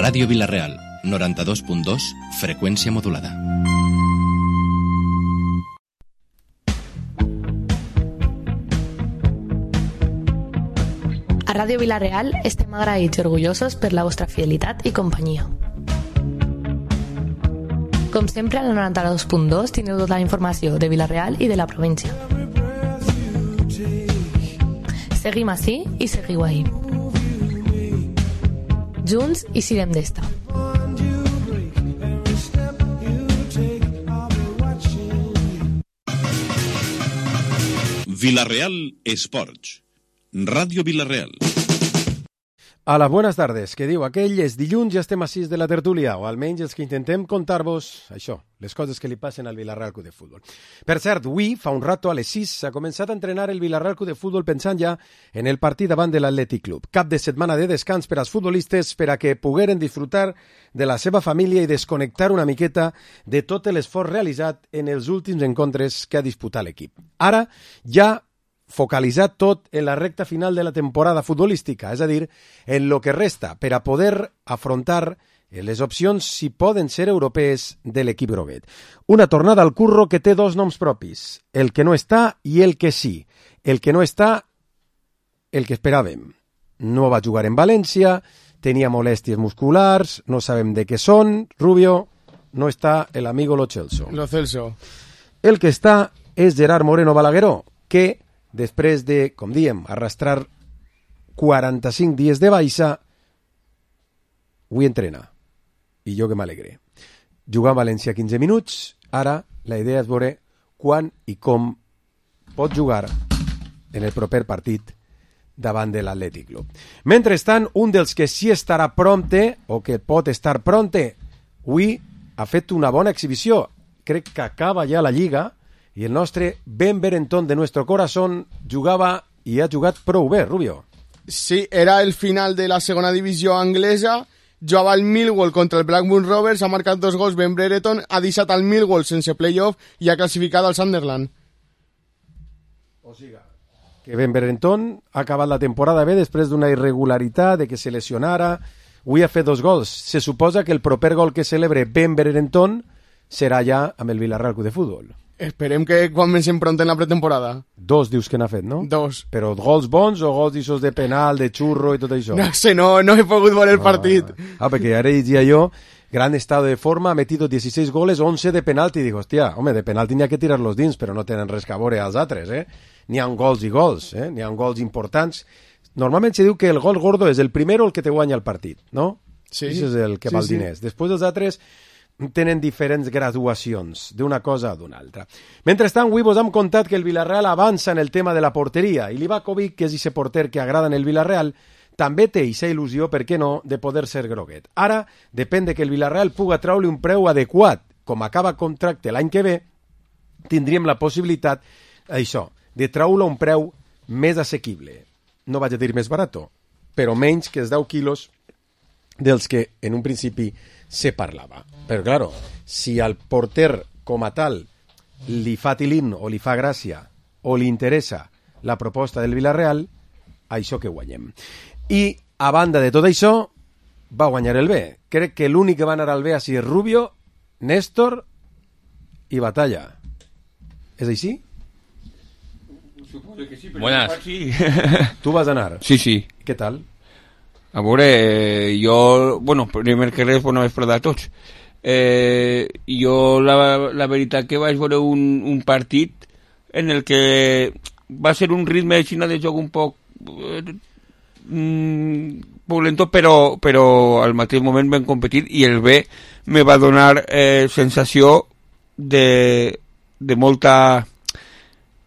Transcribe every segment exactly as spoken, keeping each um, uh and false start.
Ràdio Vila-real, noranta-dos punt dos, freqüència modulada. A Ràdio Vila-real estem agraïts i orgullosos per la vostra fidelitat i companyia. Com sempre, al noranta-dos punt dos teniu tota la informació de Vila-real i de la província. Seguim ací i seguiu ahí. Junts i sirem d'esta. Vila-real Esports. Ràdio Vila-real. Hola, buenas tardes. Què diu aquell? És dilluns, ja estem a sis de la tertúlia, o almenys els que intentem contar-vos això, les coses que li passen al Vila-real Club de Futbol. Per cert, avui, fa un rato, a les sis, s'ha començat a entrenar el Vila-real Club de Futbol pensant ja en el partit davant de l'Atlètic Club. Cap de setmana de descans per als futbolistes per a que pogueren disfrutar de la seva família i desconnectar una miqueta de tot l'esforç realitzat en els últims encontres que ha disputat l'equip. Ara, ja focalitzat tot en la recta final de la temporada futbolística, és a dir, en lo que resta per a poder afrontar les opcions, si poden ser europees, de l'equip groguet. Una tornada al curro que té dos noms propis, el que no està i el que sí. El que no està, el que esperàvem. No va jugar en València, tenia molèsties musculars, no sabem de què són. Rubio, no està el amigo Lo Celso. Lo Celso. El que està és Gerard Moreno Balagueró, que després de, com diem, arrastrar quaranta-cinc dies de baixa, avui entrena. I jo que m'alegre. Jugar a València quinze minuts, ara la idea és veure quan i com pot jugar en el proper partit davant de l'Atlètic Club. Mentrestant, un dels que sí estarà prompte, o que pot estar prompte, avui ha fet una bona exhibició. Crec que acaba ja la Lliga, i el nostre Ben Berenton de nuestro corazón jugava i ha jugat prou bé, Rubio. Sí, era el final de la segona divisió anglesa, jugava el Millwall contra el Blackburn Rovers, ha marcat dos gols Ben Berenton, ha deixat el Millwall sense playoff i ha classificat al Sunderland. O siga, que Ben Berenton ha acabat la temporada bé després d'una irregularitat, de que se lesionara. Avui ha fet dos gols. Se suposa que el proper gol que celebre Ben Berenton serà ja amb el Vila-real Club de Futbol. Esperem que comencem pront en la pretemporada. Dos dius que n'ha fet, no? Dos. Però gols bons o gols d'ixos de penal, de xurro i tot això? No sé, no, no he pogut veure el ah, partit. Ah, perquè ara diria jo, gran estado de forma, ha metido dieciséis goles, once de penalti. Digo, hòstia, home, de penalti n'hi ha que tirar-los dins, però no tenen res que veure als altres, eh? N'hi ha gols i gols, eh? N'hi ha gols importants. Normalment se diu que el gol gordo és el primer o el que te guanya el partit, no? Sí. Això és el que sí, val sí. diners. Després els altres tenen diferents graduacions d'una cosa a d'una altra. Mentrestant, avui vos hem contat que el Vila-real avança en el tema de la porteria i Livakovic, que és ese porter que agrada en el Vila-real, també té aquesta il·lusió, per què no, de poder ser groguet. Ara, depèn de que el Vila-real puga traure un preu adequat. Com acaba contracte l'any que ve, tindríem la possibilitat, això, de traure un preu més assequible. No vaig a dir més barato, però menys que els deu quilos dels que en un principi se parlava. Però, claro, si al porter com a tal li fa tilín o li fa gràcia o li interessa la proposta del Vila-real, això que guanyem. I, a banda de tot això, va guanyar el B. Crec que l'únic que va anar al B així és Rubio, Néstor i Batalla. És així? Suposo que sí, però Buenas. sí. Tu vas anar? Sí, sí. Què tal? A veure, jo... Bueno, primer que res, bona vesprada a tots. Eh, jo, la, la veritat que vaig veure un, un partit en el que va ser un ritme de Xina de joc un poc... Eh, poc lento, però, però al mateix moment vam competir i el B me va donar eh, sensació de, de molta...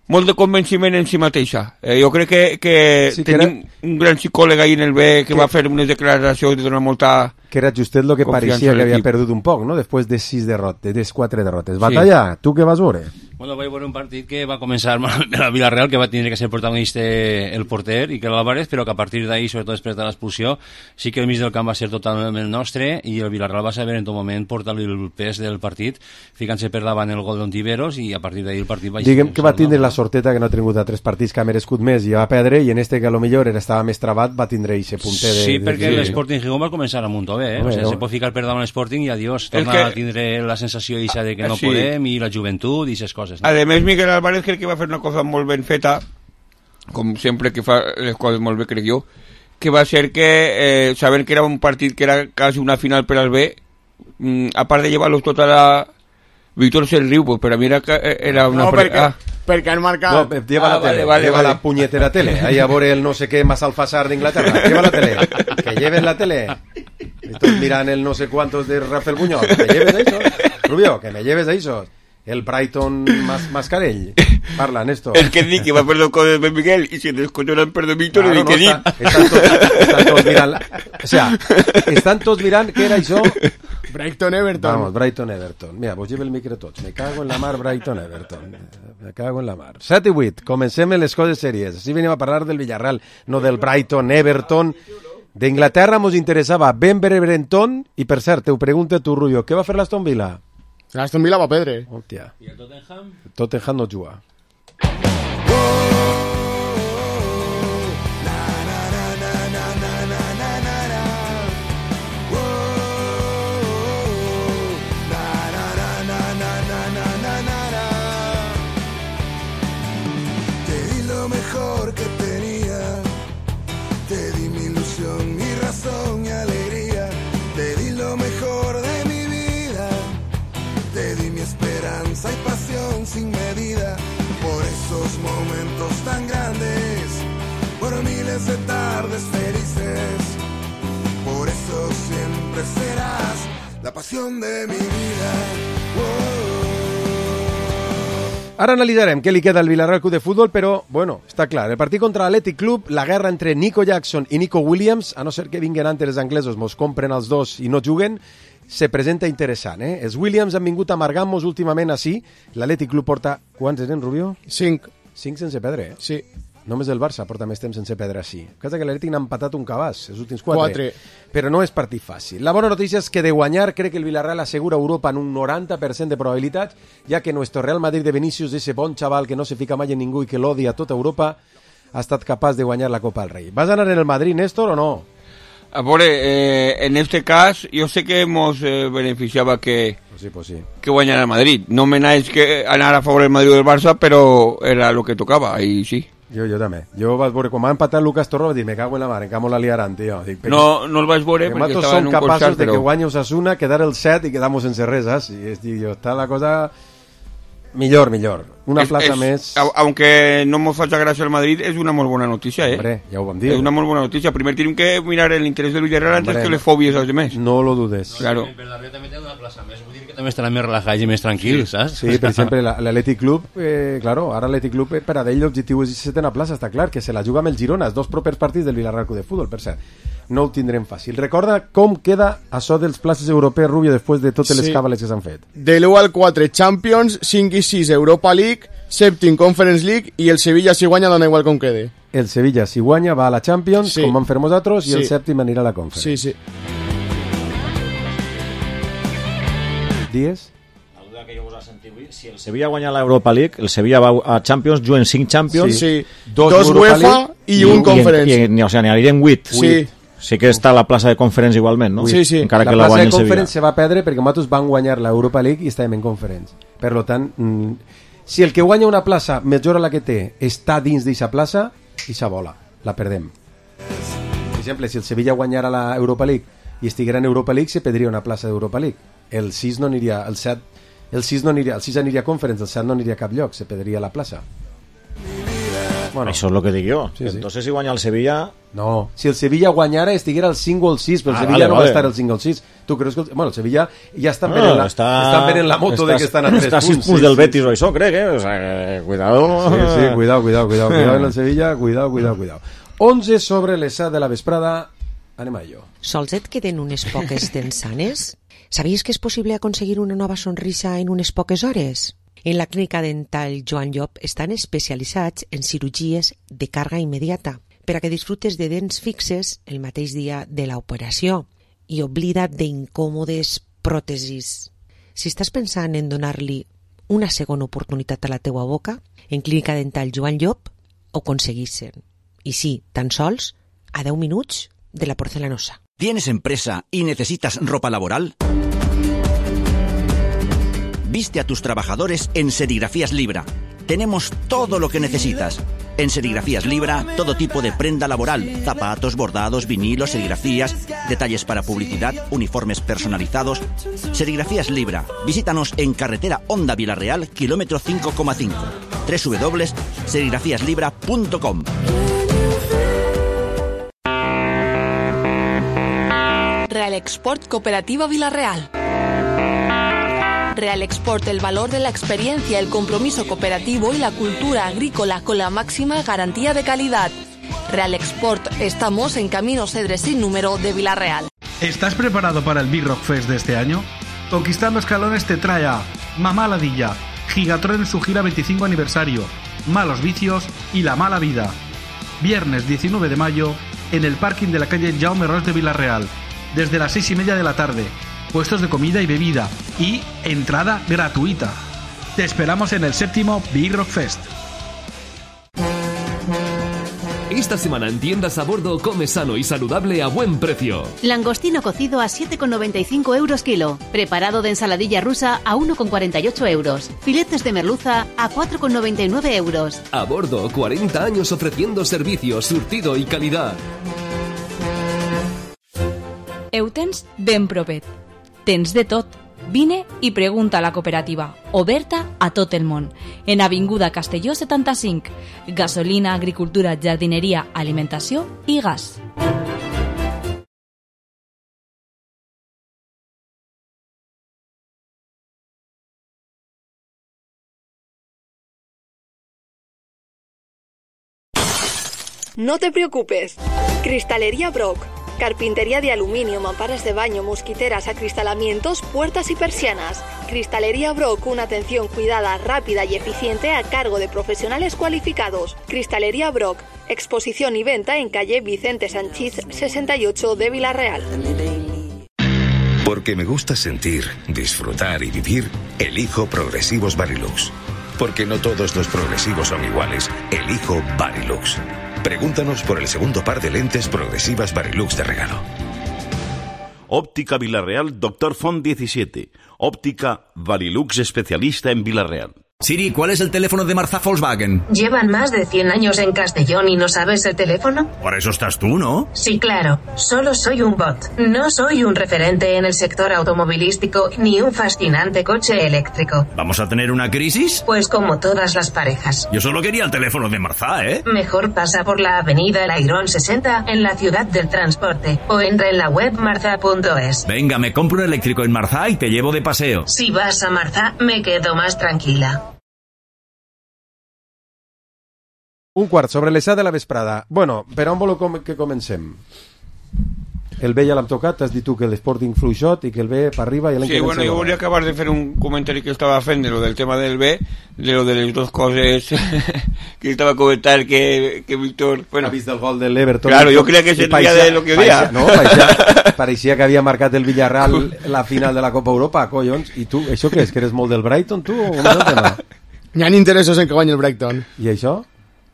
molt de convenciment en si mateixa. Eh, jo crec que, que, sí, que tenim era... un gran psicòleg ahí en el B que, que va fer unes declaracions de donar molta... Que era justet lo que pareixia que havia perdut un poc, no? Després de sis derrotes, de quatre derrotes. Batalla, sí. Tu què vas veure? Bueno, vaig veure un partit que va començar a Villarreal, que va tindre que ser protagonista el porter, i que l'Álvarez, però que a partir d'ahir, sobretot després de l'expulsió, sí que el mig del camp va ser totalment nostre, i el Villarreal va saber en tot moment portar-li el pes del partit, ficant-se per davant el gol d'Ontiveros, i a partir d'ahir el partit va... Diguem que va tindre la sorteta que no ha tingut a tres partits que ha merescut més i va perdre, i en este que a lo millor estava més trabat va tindre eixe punter de... Sí, perquè de... l'Sporting Gijón va començar a muntó bé, eh? O sigui, se pot ficar per davant l'Sporting i adiós, torna que... a tindre la sensació eixa de que no sí. podem, i la joventut i aquestes coses. No? Ademés, Miguel Álvarez crec que va fer una cosa molt ben feta, com sempre que fa les coses molt bé, crec jo, que va ser que, eh, sabent que era un partit que era quasi una final per al B, mm, a part de llevar-los tota la... Víctor se'n riu, pues per a mi era, era una... No, perquè, ah. perquè han marcat... No, lleva ah, la tele, vale, vale, lleva vale. la punyetera tele, ahí a veure el no sé què más alfasar d'Inglaterra, lleva la tele, que lleves la tele, estos miran el no sé cuántos de Rafael Buñol, que lleves eso, Rubio, que me lleves eso. El Brighton más Mascarell. Parla, Néstor. Es que dic que va perdre coses de Miguel i si descontrolen perdre Víctor claro, i que no, dic. Estan, tots, estan tots mirant... O sea, estan tots mirant què era això? Brighton-Everton. Vamos, Brighton-Everton. Mira, vos lleve el micro tots. Me cago en la mar, Brighton-Everton. Me cago en la mar. set i vuit. Comencem les coses sèries. Així venim a parlar del Villarreal, no del Brighton-Everton. D'Inglaterra mos interessava Ben Brereton i, per cert, te ho pregunta tu, Rubio, què va fer l'Aston Villa? L'Aston Villa va perdre. Hòstia. I el Tottenham? El Tottenham no juga. Te di lo mejor que tenía, te di mi ilusión, mi razón, mi alegría, te di lo mejor de te di mi esperanza y pasión sin medida, por esos momentos tan grandes, por miles de tardes felices, por eso siempre serás la pasión de mi vida. Oh. Ara analitzarem què li queda al Villarreal Club de Futbol, però, bueno, està clar, el partit contra l'Athletic Club, la guerra entre Nico Jackson i Nico Williams, a no ser que vinguin antes els anglesos, mos compren els dos i no juguen, se presenta interessant, eh? Els Williams han vingut amargant-nos últimament així. L'Atlètic Club porta... Quants eren, Rubio? Cinc. Cinc sense perdre, eh? Sí. Només el Barça porta més temps sense perdre així. Casa que l'Atlètic n'ha empatat un cabàs, els últims quatre. Quatre. Però no és partit fàcil. La bona notícia és que de guanyar crec que el Villarreal assegura Europa en un noranta per cent de probabilitats, ja que nuestro Real Madrid de Vinicius, ese bon xaval que no se fica mai en ningú i que l'odia a tota Europa, ha estat capaç de guanyar la Copa del Rei. Vas anar en el Madrid, Néstor, o no? A veure, eh, en este cas, jo sé que ens eh, beneficiava que, pues sí, pues sí. que guanyara el Madrid. No me n'haig que anar a favor del Madrid o del Barça, però era el que tocava, i sí. Jo, jo també. Jo vaig veure, quan m'ha empatat Lucas Torro, vaig dir, me cago en la mar, encara la liaran, tio. Dic, no, no el vaig veure perquè estava en un costat, però... som capaços de que guanya Osasuna, quedar el set i quedamos sense res, saps? I dic, jo, està la cosa... Millor, millor. Una es, plaça es, més... Aunque no mos faci gràcia el Madrid, és una molt bona notícia, eh? Hombre, ja ho vam dir. És una molt bona notícia. Primer tenim que mirar l'interès del Villarreal antes que les fòbies als demés. No lo dudes. Claro. El Villarreal també té una plaça més, vull dir que també estaran més relajats i més tranquils, saps? Sí, per exemple, l'Atlètic Club, eh, claro, ara l'Atlètic Club, per a d'ell l'objectiu és setena plaça, està clar, que se la juga amb el Girona, els dos propers partits del Villarreal Club de Futbol, per cert. No ho tindrem fàcil. Recorda com queda això dels places europees, Rubio, després de totes les sí. càbales que s'han fet. De l'u al quatre, Champions, cinc i sis, Europa League, sèptim, Conference League, i el Sevilla, si guanya, dona igual com quede. El Sevilla, si guanya, va a la Champions, sí. com van fer nosaltres, i sí. el sèptim anirà a la Conference. Sí, sí. Dies? La duda que jo us ha sentit avui, si el Sevilla guanya l'Europa League, el Sevilla va a Champions, juguen cinc Champions, sí. Sí. dos, dos UEFA i, i un Conference. I, i, o sigui, n'anirien vuit. Sí. Sí que està la plaça de Conference igualment, no? Sí, sí. Encara la que la plaça guanyi de el Conference Sevilla. se va perdre perquè nosaltres van guanyar l'Europa League i estàvem en Conference. Per tant, mm, si el que guanya una plaça millora la que té està dins d'aquesta plaça, aquesta bola, la perdem. Per exemple, si el Sevilla guanyara l'Europa League i estiguera en Europa League, se perdria una plaça d'Europa League. El sis no aniria, el set, el sis no aniria, el sis aniria a Conference, el set no aniria a cap lloc, se perdria la plaça. Bueno, això és el que dic jo. Sí, sí. Entonces, si guanya el Sevilla... No, si el Sevilla guanyara estiguera el cinc o el sis, però el ah, Sevilla vale, no vale. va estar el cinc o el sis. Tu creus que... El... Bueno, el Sevilla ja estan no, venent la, està, estan venent la moto està, de que estan a tres està punts. Està a sis punts sí, del sí, Betis sí. o això, crec, eh? O sea, que, cuidado. Sí, sí, cuidado, cuidado, cuidado. Cuidado en el Sevilla, cuidado, cuidado, cuidado. onze sobre les set de la vesprada. Anem a ello. Sols et queden unes poques tensanes? Sabies que és possible aconseguir una nova sonrisa en unes poques hores? En la clínica dental Joan Llop estan especialitzats en cirurgies de càrrega immediata per a que disfrutes de dents fixes el mateix dia de l'operació i oblida't d'incòmodes pròtesis. Si estàs pensant en donar-li una segona oportunitat a la teua boca, en Clínica Dental Joan Llop ho aconseguissin. I sí, tan sols a deu minuts de la Porcelanosa. ¿Tienes empresa y necesitas ropa laboral? Viste a tus trabajadores en Serigrafías Libra. Tenemos todo lo que necesitas. En Serigrafías Libra, todo tipo de prenda laboral, zapatos, bordados, vinilos, serigrafías, detalles para publicidad, uniformes personalizados. Serigrafías Libra. Visítanos en carretera Honda Vilarreal, kilómetro cinco coma cinco. doble u doble u doble u punto serigrafías libra punto com. Real Export Cooperativa Vilarreal. Real Export, el valor de la experiencia, el compromiso cooperativo y la cultura agrícola con la máxima garantía de calidad. Real Export, estamos en Camino Cedres sin número de Vilarreal. ¿Estás preparado para el Big Rock Fest de este año? Conquistando Escalones te trae a Mamá Ladilla, Gigatron en su gira veinticinco aniversario, Malos Vicios y La Mala Vida. Viernes diecinueve de mayo en el parking de la calle Jaume Ros de Vilarreal, desde las seis y media de la tarde. Puestos de comida y bebida y entrada gratuita. Te esperamos en el séptimo Big Rock Fest. Esta semana en tiendas a bordo come sano y saludable a buen precio. Langostino cocido a siete con noventa y cinco euros kilo. Preparado de ensaladilla rusa a uno con cuarenta y ocho euros. Filetes de merluza a cuatro con noventa y nueve euros. A bordo, cuarenta años ofreciendo servicio, surtido y calidad. Eutens ben propet. Tens de tot. Vine i pregunta a la cooperativa, oberta a tot el món. En Avinguda Castelló setanta-cinc. Gasolina, agricultura, jardineria, alimentació i gas. No te preocupes. Cristalería Brock. Carpintería de aluminio, mamparas de baño, mosquiteras, acristalamientos, puertas y persianas. Cristalería Brock, una atención cuidada, rápida y eficiente a cargo de profesionales cualificados. Cristalería Brock, exposición y venta en calle Vicente Sanchís sesenta y ocho de Vilarreal. Porque me gusta sentir, disfrutar y vivir, elijo Progresivos Varilux. Porque no todos los progresivos son iguales, elijo Varilux. Pregúntanos por el segundo par de lentes progresivas Varilux de regalo. Óptica Vilarreal, Doctor Font diecisiete. Óptica Varilux, especialista en Vilarreal. Siri, ¿cuál es el teléfono de Marzá Volkswagen? ¿Llevan más de cien años en Castellón y no sabes el teléfono? Para eso estás tú, ¿no? Sí, claro. Solo soy un bot. No soy un referente en el sector automovilístico ni un fascinante coche eléctrico. ¿Vamos a tener una crisis? Pues como todas las parejas. Yo solo quería el teléfono de Marzá, ¿eh? Mejor pasa por la avenida El Airón sesenta en la ciudad del transporte o entra en la web marzá punto es. Venga, me compro un eléctrico en Marzá y te llevo de paseo. Si vas a Marzá, me quedo más tranquila. Un quart sobre les set de la vesprada. Bueno, per on voleu com que comencem? El B ja l'hem tocat, has dit tu que l'Sporting fluixot i que el B per arriba i l'any sí, que bueno, yo volia acabar de fer un comentari que estava fent de lo del tema del B, de lo de les dos coses que estava comentant que, que Víctor... Bueno, ha vist el gol de l'Everton. Claro, jo crec que seria de lo que dia. No, pareixia, pareixia que havia marcat el Villarreal la final de la Copa Europa, collons. I tu, això què és? Que eres molt del Brighton, tu? O com és el tema? Hi ha interessos en que guanyi el Brighton. I això?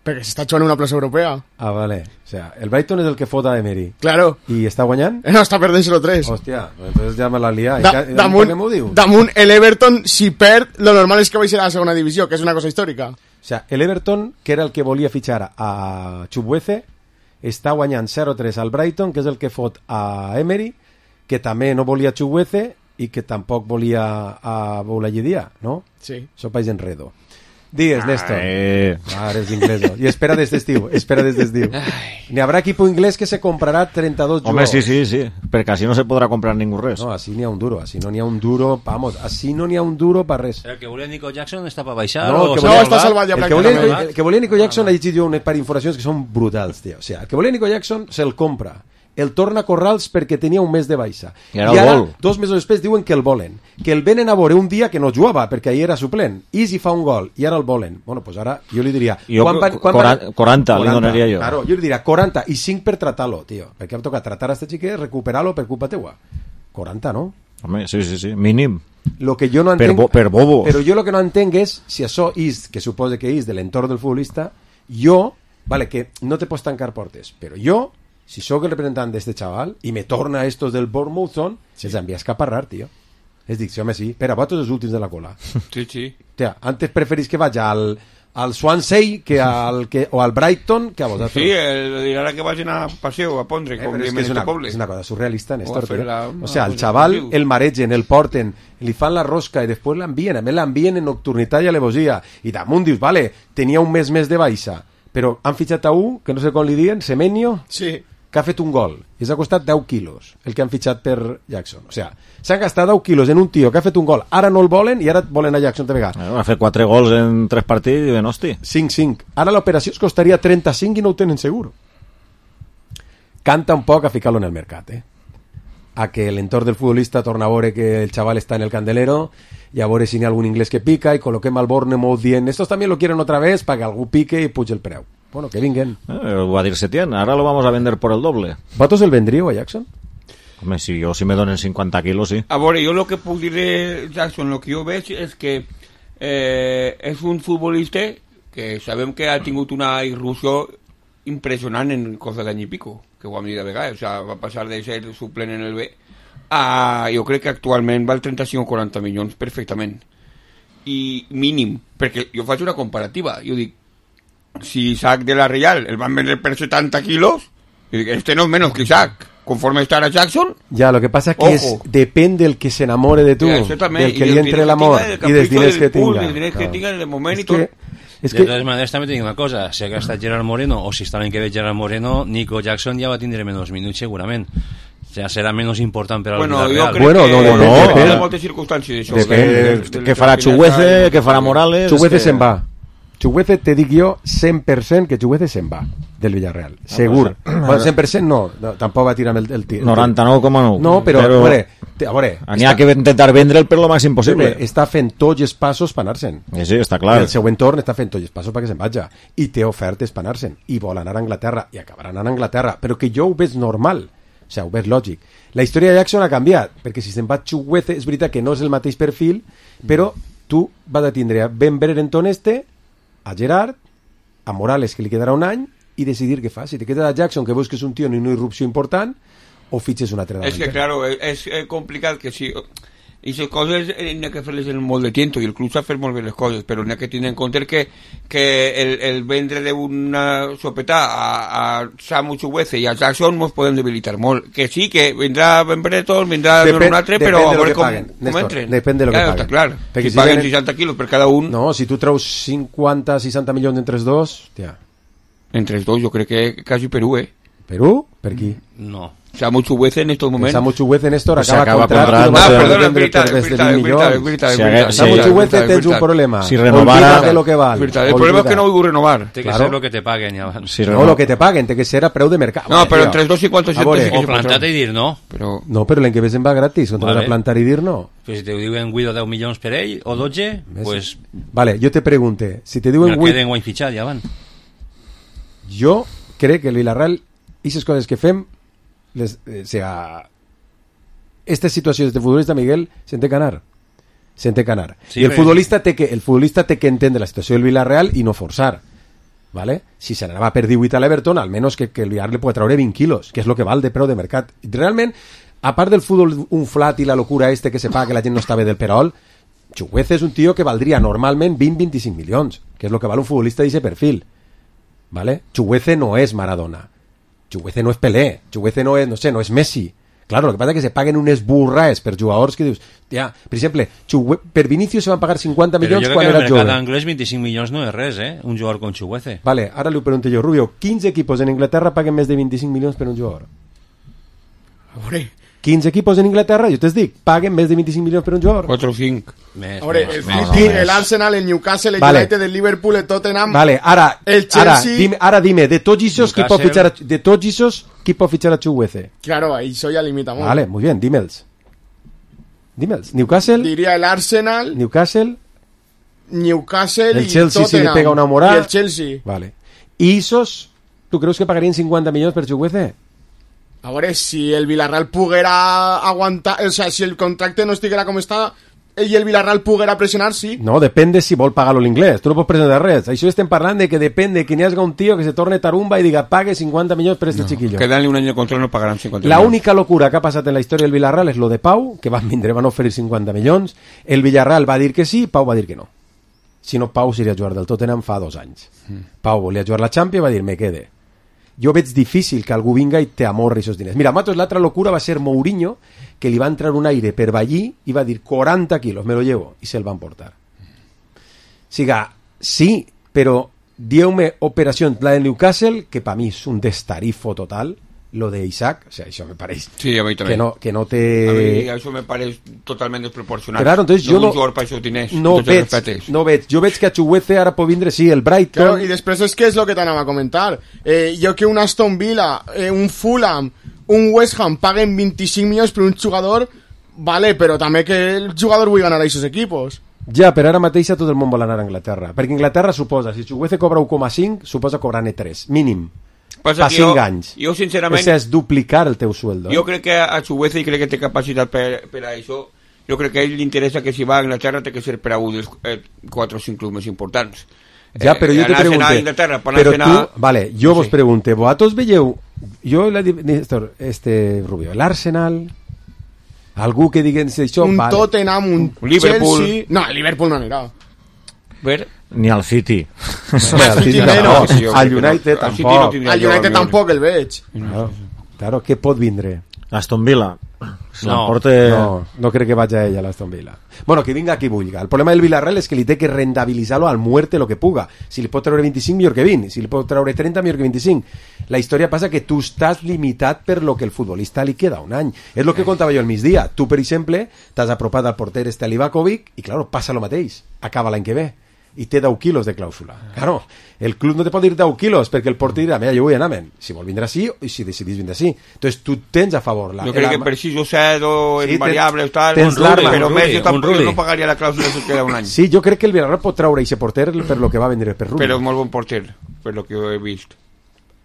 Perquè s'està jugant una plaça europea. Ah, vale. O sea, el Brighton és el que fot a Emery. Claro. I està guanyant? No, està perdent zero tres. Hòstia, entonces ja me la lia. Da, damunt, damunt el Everton, si perd, lo normal és que vagi a la segona divisió, que és una cosa històrica. O sea, el Everton, que era el que volia fitxar a Chukwueze, està guanyant zero tres al Brighton, que és el que fot a Emery, que també no volia Chukwueze i que tampoc volia a Boulayedia, no? Sí. Això país enredo. Digues, Néstor. Ah, eres inglés. Y espera desde estiu, espera desde estiu. Ni habrá equipo inglés que se comprará treinta y dos Hombre, jugadores. sí, sí, sí. Porque así no se podrá comprar ningún res. No, así ni a un duro, así no ni a un duro, vamos, así no ni a un duro para res. El que volia Nico Jackson està per baixar? No, o que volia, no, està salvat ja el que, volia, pràcticament. el que volia Nico Jackson ha llegit jo un par d'informacions que són brutals, tio. O sea, el que volia Nico Jackson se'l compra el torna a Corrals perquè tenia un mes de baixa. I ara I el ara, vol. dos mesos després, diuen que el volen. Que el venen a veure un dia que no jugava, perquè ahir era suplent. Easy fa un gol, i ara el volen. Bueno, pues ara jo li diria... Jo, quaranta, quaranta li donaria jo. Claro, jo li diria quaranta i cinc per tratar-lo, tio. Perquè em toca tratar a este xiquet, recuperar-lo per culpa teua. quaranta, no? Home, sí, sí, sí, mínim. Lo que jo no Per, entenc... bo, per bobo. Però jo lo que no entenc és si això és, que suposa que és de l'entorn del futbolista, jo, vale, que no te pots tancar portes, però jo, si sóc el representant d'este xaval i me torna estos del Bournemouth, sí. Els envia a escaparrar, tio. És dic, sí, home, sí, però vosaltres els últims de la cola. Sí, sí. Tia, antes preferís que vagi al, al Swansea que al, que, o al Brighton que a vosaltres. Sí, el, dirà que vagin a paseo, a pondre, Eh, com però és, diem que en és, este una, poble. és una cosa surrealista, Néstor. O a fer tio. la- O sea, el una chaval, cosa el maregen, el porten, li fan la rosca i després l'envien. A més l'envien en nocturnitat i alevosia. I damunt dius, vale, tenia un mes més de baixa, però han fitxat a un, que no sé com li diuen, Semenyo, sí. que ha fet un gol. I s'ha costat deu quilos, el que han fitxat per Jackson. O sea, s'han gastat deu quilos en un tio que ha fet un gol. Ara no el volen i ara volen a Jackson de vegada. Ha fet quatre gols en tres partits i ben, hosti. cinc cinc. Ara l'operació es costaria trenta-cinc i no ho tenen segur. Canta un poc a ficar-lo en el mercat, eh? A que l'entorn del futbolista torna a veure que el chaval està en el candelero i a veure si n'hi ha algun inglès que pica i col·loquem al Bournemouth dient estos també lo quieren otra vez para que algú pique i puja el preu. Bueno, que vinguen. Eh, ho va dir Setién, ahora lo vamos a vender por el doble. ¿Votos el vendríeu a Jackson? Home, si jo si me donen cinquanta quilos, sí. A veure, jo el que puc dir de Jackson, el que jo veig és que eh, és un futbolista que sabem que ha tingut una irrupció impressionant en cosa d'any i pico, que ho hem dit de vegades, o sea, va passar de ser suplent en el B a, jo crec que actualment val trenta-cinc o quaranta milions perfectament. I mínim, perquè jo faig una comparativa, jo dic, si Isaac de la Real el van vender per setanta kilos, jo dic, este no es menos que Isaac. Conforme estará Jackson, ya, lo que pasa es que es, depende del que se enamore de tú, ja, del que li entre l'amor i dels diners que tinga. Dels diners que tinga en el moment és i tot. Que, és de que... totes maneres també tinc una cosa, si hagués estat Gerard Moreno o si està l'any que ve Gerard Moreno, Nico Jackson ja va tindre menys minuts segurament, ja serà menys important per al bueno, Villarreal. jo crec Bueno, que no, no, hi depèn. ha moltes circumstàncies d'això. Depèn. Què farà Chuguece, què farà Morales... Chuguece que... se'n va. Chuguece, te dic jo cent per cent que Chuguece se'n va del Villarreal, segur. pues, Bueno, cent per cent no, no, tampoc va tirar el, el tir. noranta-nou coma nou. No, però, però... a veure, te- a veure, N'hi ha que intentar vendre'l per lo màxim possible. està fent tots els passos per anar-se'n. Sí, sí, està clar. I el següent torn està fent tots els passos perquè se'n vagi. I té ofertes per anar-se'n. I vol anar a Anglaterra. I acabarà anant a Anglaterra. Però que jo ho veig normal. O sigui, ho veig lògic. La història de Jackson ha canviat. Perquè si se'n va Chuguece, és veritat que no és el mateix perfil, però tu vas a tindre a Ben Brereton este, a Gerard, a Morales, que li quedarà un any, i decidir què fa. Si te quedes a Jackson, que veus que és un tio en una irrupció important, o fitxes un altre És que, davanter. claro, és, és complicat que si... I les coses n'hi ha que fer-les en molt de tiempo i el club sap fer molt bé les coses, però n'hi ha que tenir en compte que, que el, el vendre d'una sopetà a, a Samu Chuguece i a Jackson mos podem debilitar molt. Que sí, que vindrà Ben Brereton, vindrà Depèn- un altre, depèn però de a lo veure que com, paguen, com Néstor, entren. depèn de lo que Claro, paguen. està clar. Perquè Si si paguen venen- seixanta quilos per cada un... No, si tu treus cinquanta seixanta milions entre els dos, hòstia. Entre els dos, jo crec que quasi Perú, eh? Perú? Per qui? No. Samu Chuguece en estos momentos. Samu Chuguece, Néstor, Pues acaba, acaba contrato, contrato, no va ah, a perdona, poder és vendre veritat, per és més de veritat, mil és veritat, és milions. veritat, és Si veritat. hagués- Samu Sí, Chuguece és tens un veritat. problema. Si renovara- Olvídate lo que val. És veritat. El problema és que no ho du renovar. Té que Claro. ser el que te paguen ja abans. Si No, lo que te paguen, té que ser a preu de mercat. No, però Tio. entre els dos i cinquanta A veure, sí que O se pot plantar-te treure. i dir no. Però... No, però l'any que ve se'n va gratis, contra Vale. vale. plantar i dir no. Pues si te diuen Guido deu milions per ell, o dotze, Ves? pues Vale, jo te pregunte, si te me diuen vuit, queden guany fitxat ja van. jo crec que el Villarreal, aquestes coses que fem, les, eh, o sea, estas situacions de futbolista, Miguel, se'n té que anar. Se'n té que anar. Sí, I el però- futbolista, té que, el futbolista té que entendre la situació del Villarreal i no forçar. ¿Vale? Si se n'anava per divuit a l'Everton, almenys que, que el Villarreal li pot treure vint quilos, que és el que val de preu de mercat. Realment, a part del futbol un flat i la locura este que se paga que la gent no està bé del perol, Chuguece és un tio que valdria normalment vint a vint-i-cinc milions, que és el que val un futbolista d'aquest perfil. ¿Vale? Chuguece no és Maradona. Chuguece no és Pelé. Chuguece no és, no sé, no és Messi. Claro, lo que pasa es que se paguen unes burraes per jugadors que dius, tia, per exemple, Chugue... per Vinicius se van pagar cinquanta Però milions jo crec quan que era en el mercat jove. anglès vint-i-cinc milions no és res, eh? Un jugador con Chuguece. Vale, ara li pregunto jo, Rubio, quins equipos en Inglaterra paguen més de vint-i-cinc milions per un jugador? A veure, quinze equipos en Inglaterra, jo t'es dic, paguen més de vint-i-cinc milions per un jugador. quatre o cinc. A veure, el City, el Arsenal, el Newcastle, el Vale. United, el Liverpool, el Tottenham, Vale, ara, el ara, Chelsea... dime, ara dime, de tots esos, qui pot fitxar a, de tots esos, qui pot fitxar a Chukwueze? Claro, ahí eso ya limita mucho. Vale, muy bien, dímelos. Dímelos. Newcastle. Diría el Arsenal, Newcastle. Newcastle El y Chelsea si le Tottenham. pega una morada. Y el Chelsea. Vale. ¿Y esos, tú crees que pagarían cincuenta millones per Chukwueze? A veure, si el Villarreal poguera aguantar... O sea, si el contracte no estiguera com està i el Villarreal poguera pressionar, sí. No, depende si vol pagar-lo l'inglès. Tu no pots presentar res. Això estem parlant de que depende que n'hi hagi un tio que se torne tarumba i diga pague cincuenta millones per este No, chiquillo. quedan-li un any de contrato, no pagaran cincuenta La milions. única locura que ha passat en la història del Villarreal és lo de Pau, que van vindre, van oferir cinquanta milions. El Villarreal va dir que sí, Pau va dir que no. Si no, Pau seria jugar del Tottenham fa dos anys. Mm. Pau volia jugar la Champions i va dir, me quede. Jo veig difícil que algú vinga i te amorri aquests diners. Mira, Matos, l'altra locura va ser Mourinho, que li va entrar un aire per Ballí i va dir quaranta quilos, me lo llevo, i se'l van portar. Siga, sí, però dieu-me operació, la de Newcastle, que per mi és un destarifo total, lo de Isaac, o sea, això me pareix Sí, a mi també. que no, que no A mi té... això me pareix totalment desproporcionat. Claro, entonces no jo no, un jugador per això diners, no, tots els veig, respectes. no veig, jo veig que a Chukwueze ara pot vindre, sí, el Brighton... Claro, y después es que es lo que te anava a comentar. Eh, yo que un Aston Villa, eh, un Fulham, un West Ham paguen vint-i-cinc milions per un jugador, vale, però també que el jugador vull ganar a aquests equipos. Ja, però ara mateix tot el món vol anar a Anglaterra, perquè Anglaterra suposa, si Chukwueze cobra un coma cinc, suposa cobrar-ne tres, mínim. Passa Pa que cinc jo- anys. jo, sincerament- Això és duplicar el teu sueldo. Jo crec que a Chukwueze, i crec que té capacitat per, per a això, jo crec que a ell li interessa que si va a Anglaterra té que ser per a un dels eh, quatre o cinc clubs més importants. Ja, però jo te anar a pregunte, Inglaterra, per però anar a... tu, vale, jo vos pregunte, vosaltres veieu, jo la di- Néstor, este Rubio, l'Arsenal, algú que diguen això, Un vale. Tottenham, un Liverpool. Chelsea... No, el Liverpool no anirà. Ver? Ni al City. Ni al City no, no, sí, jo al crec que no. United Al City tampoc. no tindria Al jo, United amigo. tampoc el veig. Claro, claro, què pot vindre? Aston Villa. Se No, l'emporte... no, no crec que vagi a ella a l'Aston Villa. Bueno, que vinga qui vulgui. El problema del Villarreal és que li té que rentabilitzar-lo al muerte lo que puga. Si li pot treure vint-i-cinc, millor que vint. Si li pot treure trenta, millor que vint-i-cinc. La història passa que tu estàs limitat per lo que el futbolista li queda un any. És lo que contava jo al migdia. Tu, per exemple, t'has apropat al porter este Livakovic i, claro, passa lo mateix. Acaba l'any que ve. I té deu quilos de clàusula. Claro, el club no te pot dir deu quilos perquè el porter dirà, mira, jo vull anar, men. Si vol vindre així, i si decidís vindre així. Entonces tu tens a favor la... Jo crec que per sis o set o Sí, en variables tal, tens l'arma. però Un més Rulli, jo tampoc un Rulli. jo no pagaria la clàusula que queda un any. Sí, jo crec que el Villarreal pot treure aquest porter per lo que va vendre per Rulli. Però és molt bon porter, per lo que jo he vist.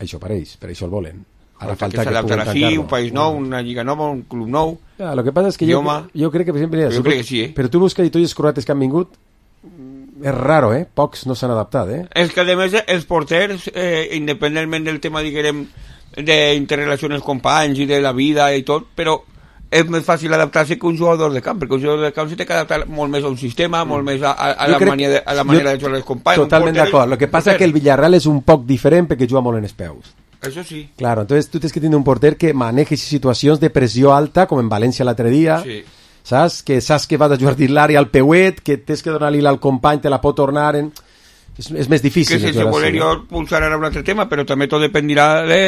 Això pareix, per això el volen. Ara Falta falta que que s'adaptarà puguen així, tancar-lo. un país nou, una lliga nova, un club nou. Ja, lo que passa és que jo, idioma. jo crec que, per exemple... Jo crec que sí, eh? Però tu veus que tots els croates que han vingut és raro, eh? Pocs no s'han adaptat, eh? És que, a més, els porters, eh, independentment del tema, diguem, d'interrelació amb els companys i de la vida i tot, però és més fàcil adaptar-se que un jugador de camp, perquè un jugador de camp se té que adaptar molt més a un sistema, molt més a, a, a, Jo la, crec- manera de, a la jo- manera de jugar els companys. Un Totalment porter- d'acord. Lo que passa és que el Villarreal és un poc diferent perquè juga molt en els peus. Això sí. Claro, entonces tú tienes que tener un porter que maneje situacions de pressió alta, com en València l'altre dia, Sí. saps? Que saps que vas a jugar dins l'àrea al peuet, que tens que donar-li al company, te la pot tornar... En... És, és més difícil. Que sense jugar voler així, jo no? pulsar ara un altre tema, però també tot dependirà de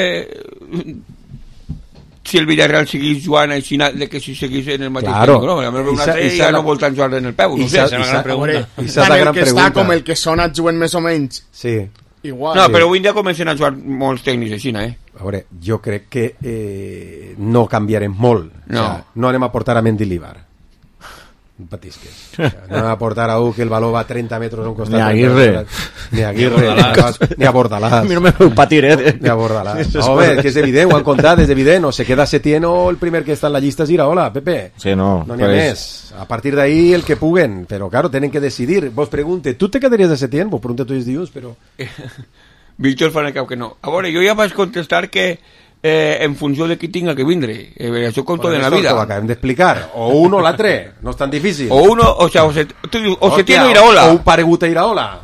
si el Villarreal seguís jugant així, de que si seguís en el mateix Claro. tècnic, no? A veure, un I sa- altre i sa ja la- no vol tant jugar en el peu, I no sé, sa- és una i gran sa- pregunta. I sa és Tant la el gran que està pregunta. com el que sona juguen més o menys. Sí. Igual. No, Sí. però avui en dia comencen a jugar molts tècnics així, eh? A veure, jo crec que eh, no canviarem molt. No. O sea, no anem a portar a Mendilibar. No patisques. O sea, no anem a portar a un que el valor va a trenta metres a un costat. Ni a Aguirre. Ni a Aguirre. Ni a Bordalàs. Ni a Bordalàs. A mi no me veu patir, eh? Ni a Bordalàs. No, home, que és evident, ho han contat, és evident. O se queda Setién o el primer que està en la llista és Iraola, Pepe. Sí, no. No n'hi ha pues- més. A partir d'ahí el que puguen. Però, claro, tenen que decidir. Vos pregunte, tu te quedaries de Setién? Vos pregunte tu els dius, però... Víctor fa en el cap que no. A veure, jo ja vaig contestar que eh, en funció de qui tinga que vindre. Eh, això com tot en la Bueno, vida. esto Ho acabem d'explicar. O un o l'altre. No és tan difícil. O uno, o sea, o se, tu dius, o se Hòstia, tiene Iraola. O un paregut a Iraola.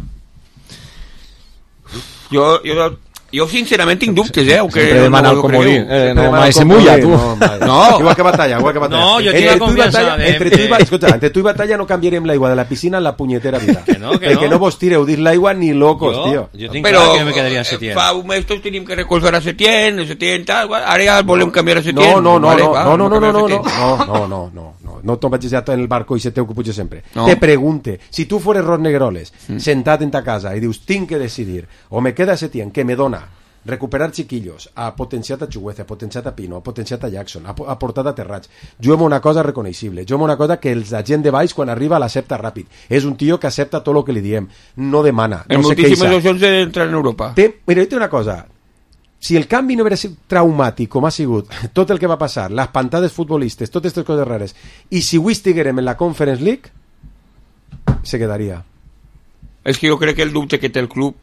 Jo, jo Jo sincerament tinc dubtes, eh? Sempre demana el comodí. Eh, no, mai se mulla, tu. No, igual que batalla, igual que batalla. No, jo tinc la confiança de... Entre tu i batalla, escolta, entre tu i batalla no canviarem l'aigua de la piscina en la punyetera vida. Que no, que el no. que no vos tireu dins l'aigua ni locos, jo, tio. Jo tinc clar que me quedaria a Setién. Fa un mes tots tenim que recolzar a Setién, a Setién, tal, ara ja volem canviar a Setién. No, no, no, vale, no, va, no, no, no, no, no, Setién. no, no, no, no, no, no te'n vagis ja en el barco i se teu que puja sempre. No. Te pregunte, si tu fores Ros Negroles, mm. sentat en ta casa i dius, tinc que decidir, o me queda Setién, que me dona recuperar chiquillos, ha potenciat a Chugueza, ha potenciat a Pino, ha potenciat a Jackson, ha, ha portat a Terrats, juguem una cosa reconeixible, juguem una cosa que els la gent de baix quan arriba l'accepta ràpid, és un tio que accepta tot el que li diem, no demana, en no se moltíssimes queixa. opcions d'entrar en Europa. Té, mira, jo una cosa, si el canvi no hagués sigut traumàtic com ha sigut tot el que va passar, les pantades futbolistes, totes aquestes coses rares, i si avui estiguérem en la Conference League, se quedaria. És que jo crec que el dubte que té el club,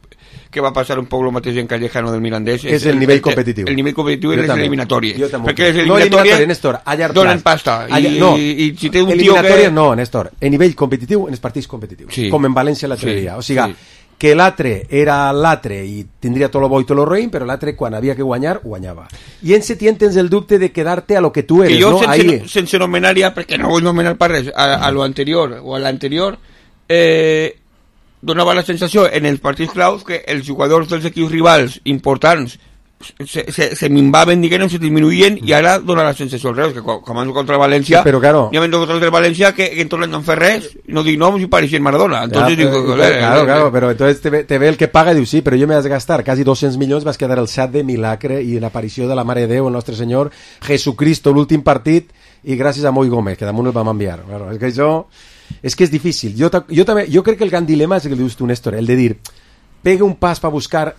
que va passar un poc el mateix en Callejano del Mirandés, és el nivell competitiu. El nivell competitiu i les eliminatòries. No, Perquè les eliminatòries eliminatòries, Néstor, a llarg donen plaç. pasta. A llarg- I, no, i si té un tio que... eliminatòries no, Néstor. En nivell competitiu, en els partits competitius. Sí. Com en València l'altre Sí, dia. O sigui, sí. que l'altre era l'altre i tindria tot lo bo i tot lo roïn, però l'altre quan havia que guanyar, guanyava. I en Setién tens el dubte de quedar-te a lo que tu eres, que jo, no? sense, Ahí. sense nomenar ja, perquè no vull nomenar per res, a, a lo anterior o a l'anterior, eh, donava la sensació en els partits claus que els jugadors dels equips rivals importants se, se, se minvaven, diguem, se disminuïen, i ara dona la sensació al revés, que com han contra València, Sí, però claro. hi ha contra el València que, que en tot l'any no han fet res, no dic noms i pareixien Maradona. Entonces, Ja, digo, però, eh, claro, eh, claro, però entonces te ve, te ve el que paga i diu, sí, però jo m'he de gastar quasi dos-cents milions, vas quedar el sat de milagre i l'aparició de la Mare de Déu, el nostre Senyor Jesucristo, l'últim partit, i gràcies a Moi Gómez, que damunt el vam enviar. Claro, és que això... És que és difícil. Jo, ta- jo, també, jo crec que el gran dilema és el que dius tu, Néstor, el de dir, pega un pas per buscar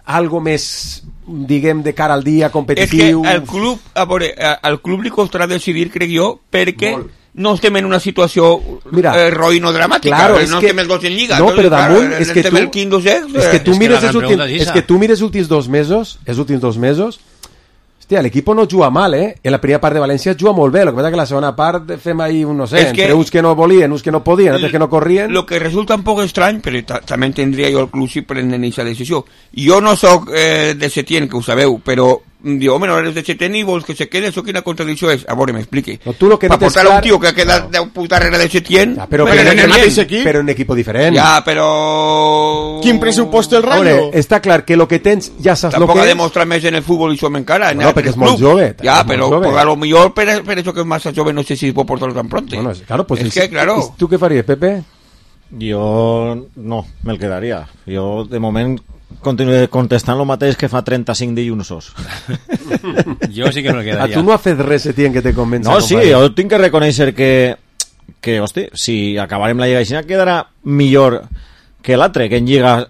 algo més, diguem, de cara al dia, és que competitiu... al club, a veure, a- al club li costarà decidir, crec jo, perquè no estem en una situació Mira, eh, roïno dramàtica, claro, no és que- estem els dos en lliga. No, entonces, però damunt, claro, és que estem tu, el quinto, sexto, és que eh. tu És que mires la els gran últims, pregunta és és esa. que tu mires els últims dos mesos, els últims dos mesos, hòstia, l'equip no juga mal, eh? En la primera part de València juga molt bé, el que passa que la segona part fem ahí, un, no sé, És que- entre uns que no volien, uns que no podien, altres que no corrien... Lo que resulta un poc estrany, però ta també entendria jo el club si prenen aquesta decisió. Jo no sóc eh, de Setién, que ho sabeu, però diu, home, no eres de Setién i vols que se quede, això quina contradicció és? A veure, m'expliqui. No, tu lo que per no tens portar clar- un tio que ha quedat deu punts darrere de Setién... Ja, però, me però, l'han en el enviat. mateix equip? Però en un equip diferent. Ja, però... Quin pressupost el A Rayo? veure, està clar que lo que tens ja saps lo Tampoc que ha és... demostrat més en el futbol i som encara. en Bueno, el perquè és club. molt jove, Ja, és molt però jove. pues, a lo millor per, per això que és massa jove no sé si es pot portar tan pronto. Bueno, es- claro, pues es el- que, claro... ¿Tu qué faries, Pepe? Jo no, me'l quedaria. Jo, de moment, continuaré contestant el mateix que fa trenta-cinc dilluns. Jo sí que me'l A quedaria. tu no has fet res, Setién, que te convença. No, sí, compadre? jo tinc que reconèixer que, que hosti, si acabarem la Lliga així, quedarà millor que l'altre, que en Lliga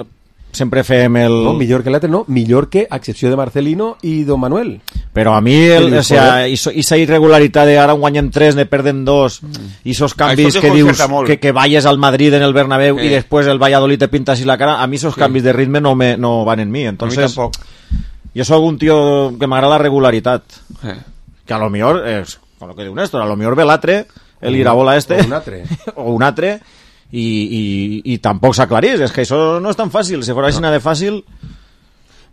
sempre fem el... No, millor que l'altre no, millor que, a excepció de Marcelino i Don Manuel. Però a mi, el, Sí, o sea, joder. iso- esa irregularitat de ara en guanyem tres, ne perden dos, i esos canvis Això que dius desconcerta molt. que, que vayas al Madrid en el Bernabéu Sí. y después el Valladolid te pinta así la cara, a mí esos Sí. canvis de ritme no, me, no van en mi. Entonces, a mi tampoc. yo soy un tío que m'agrada la regularitat. Eh. Que a lo mejor, es, con lo que diu Néstor, a lo mejor ve l'altre, el irabola este, O un altre. o un altre, i, i, i tampoc s'aclarís, és que això no és tan fàcil, si fos així de fàcil...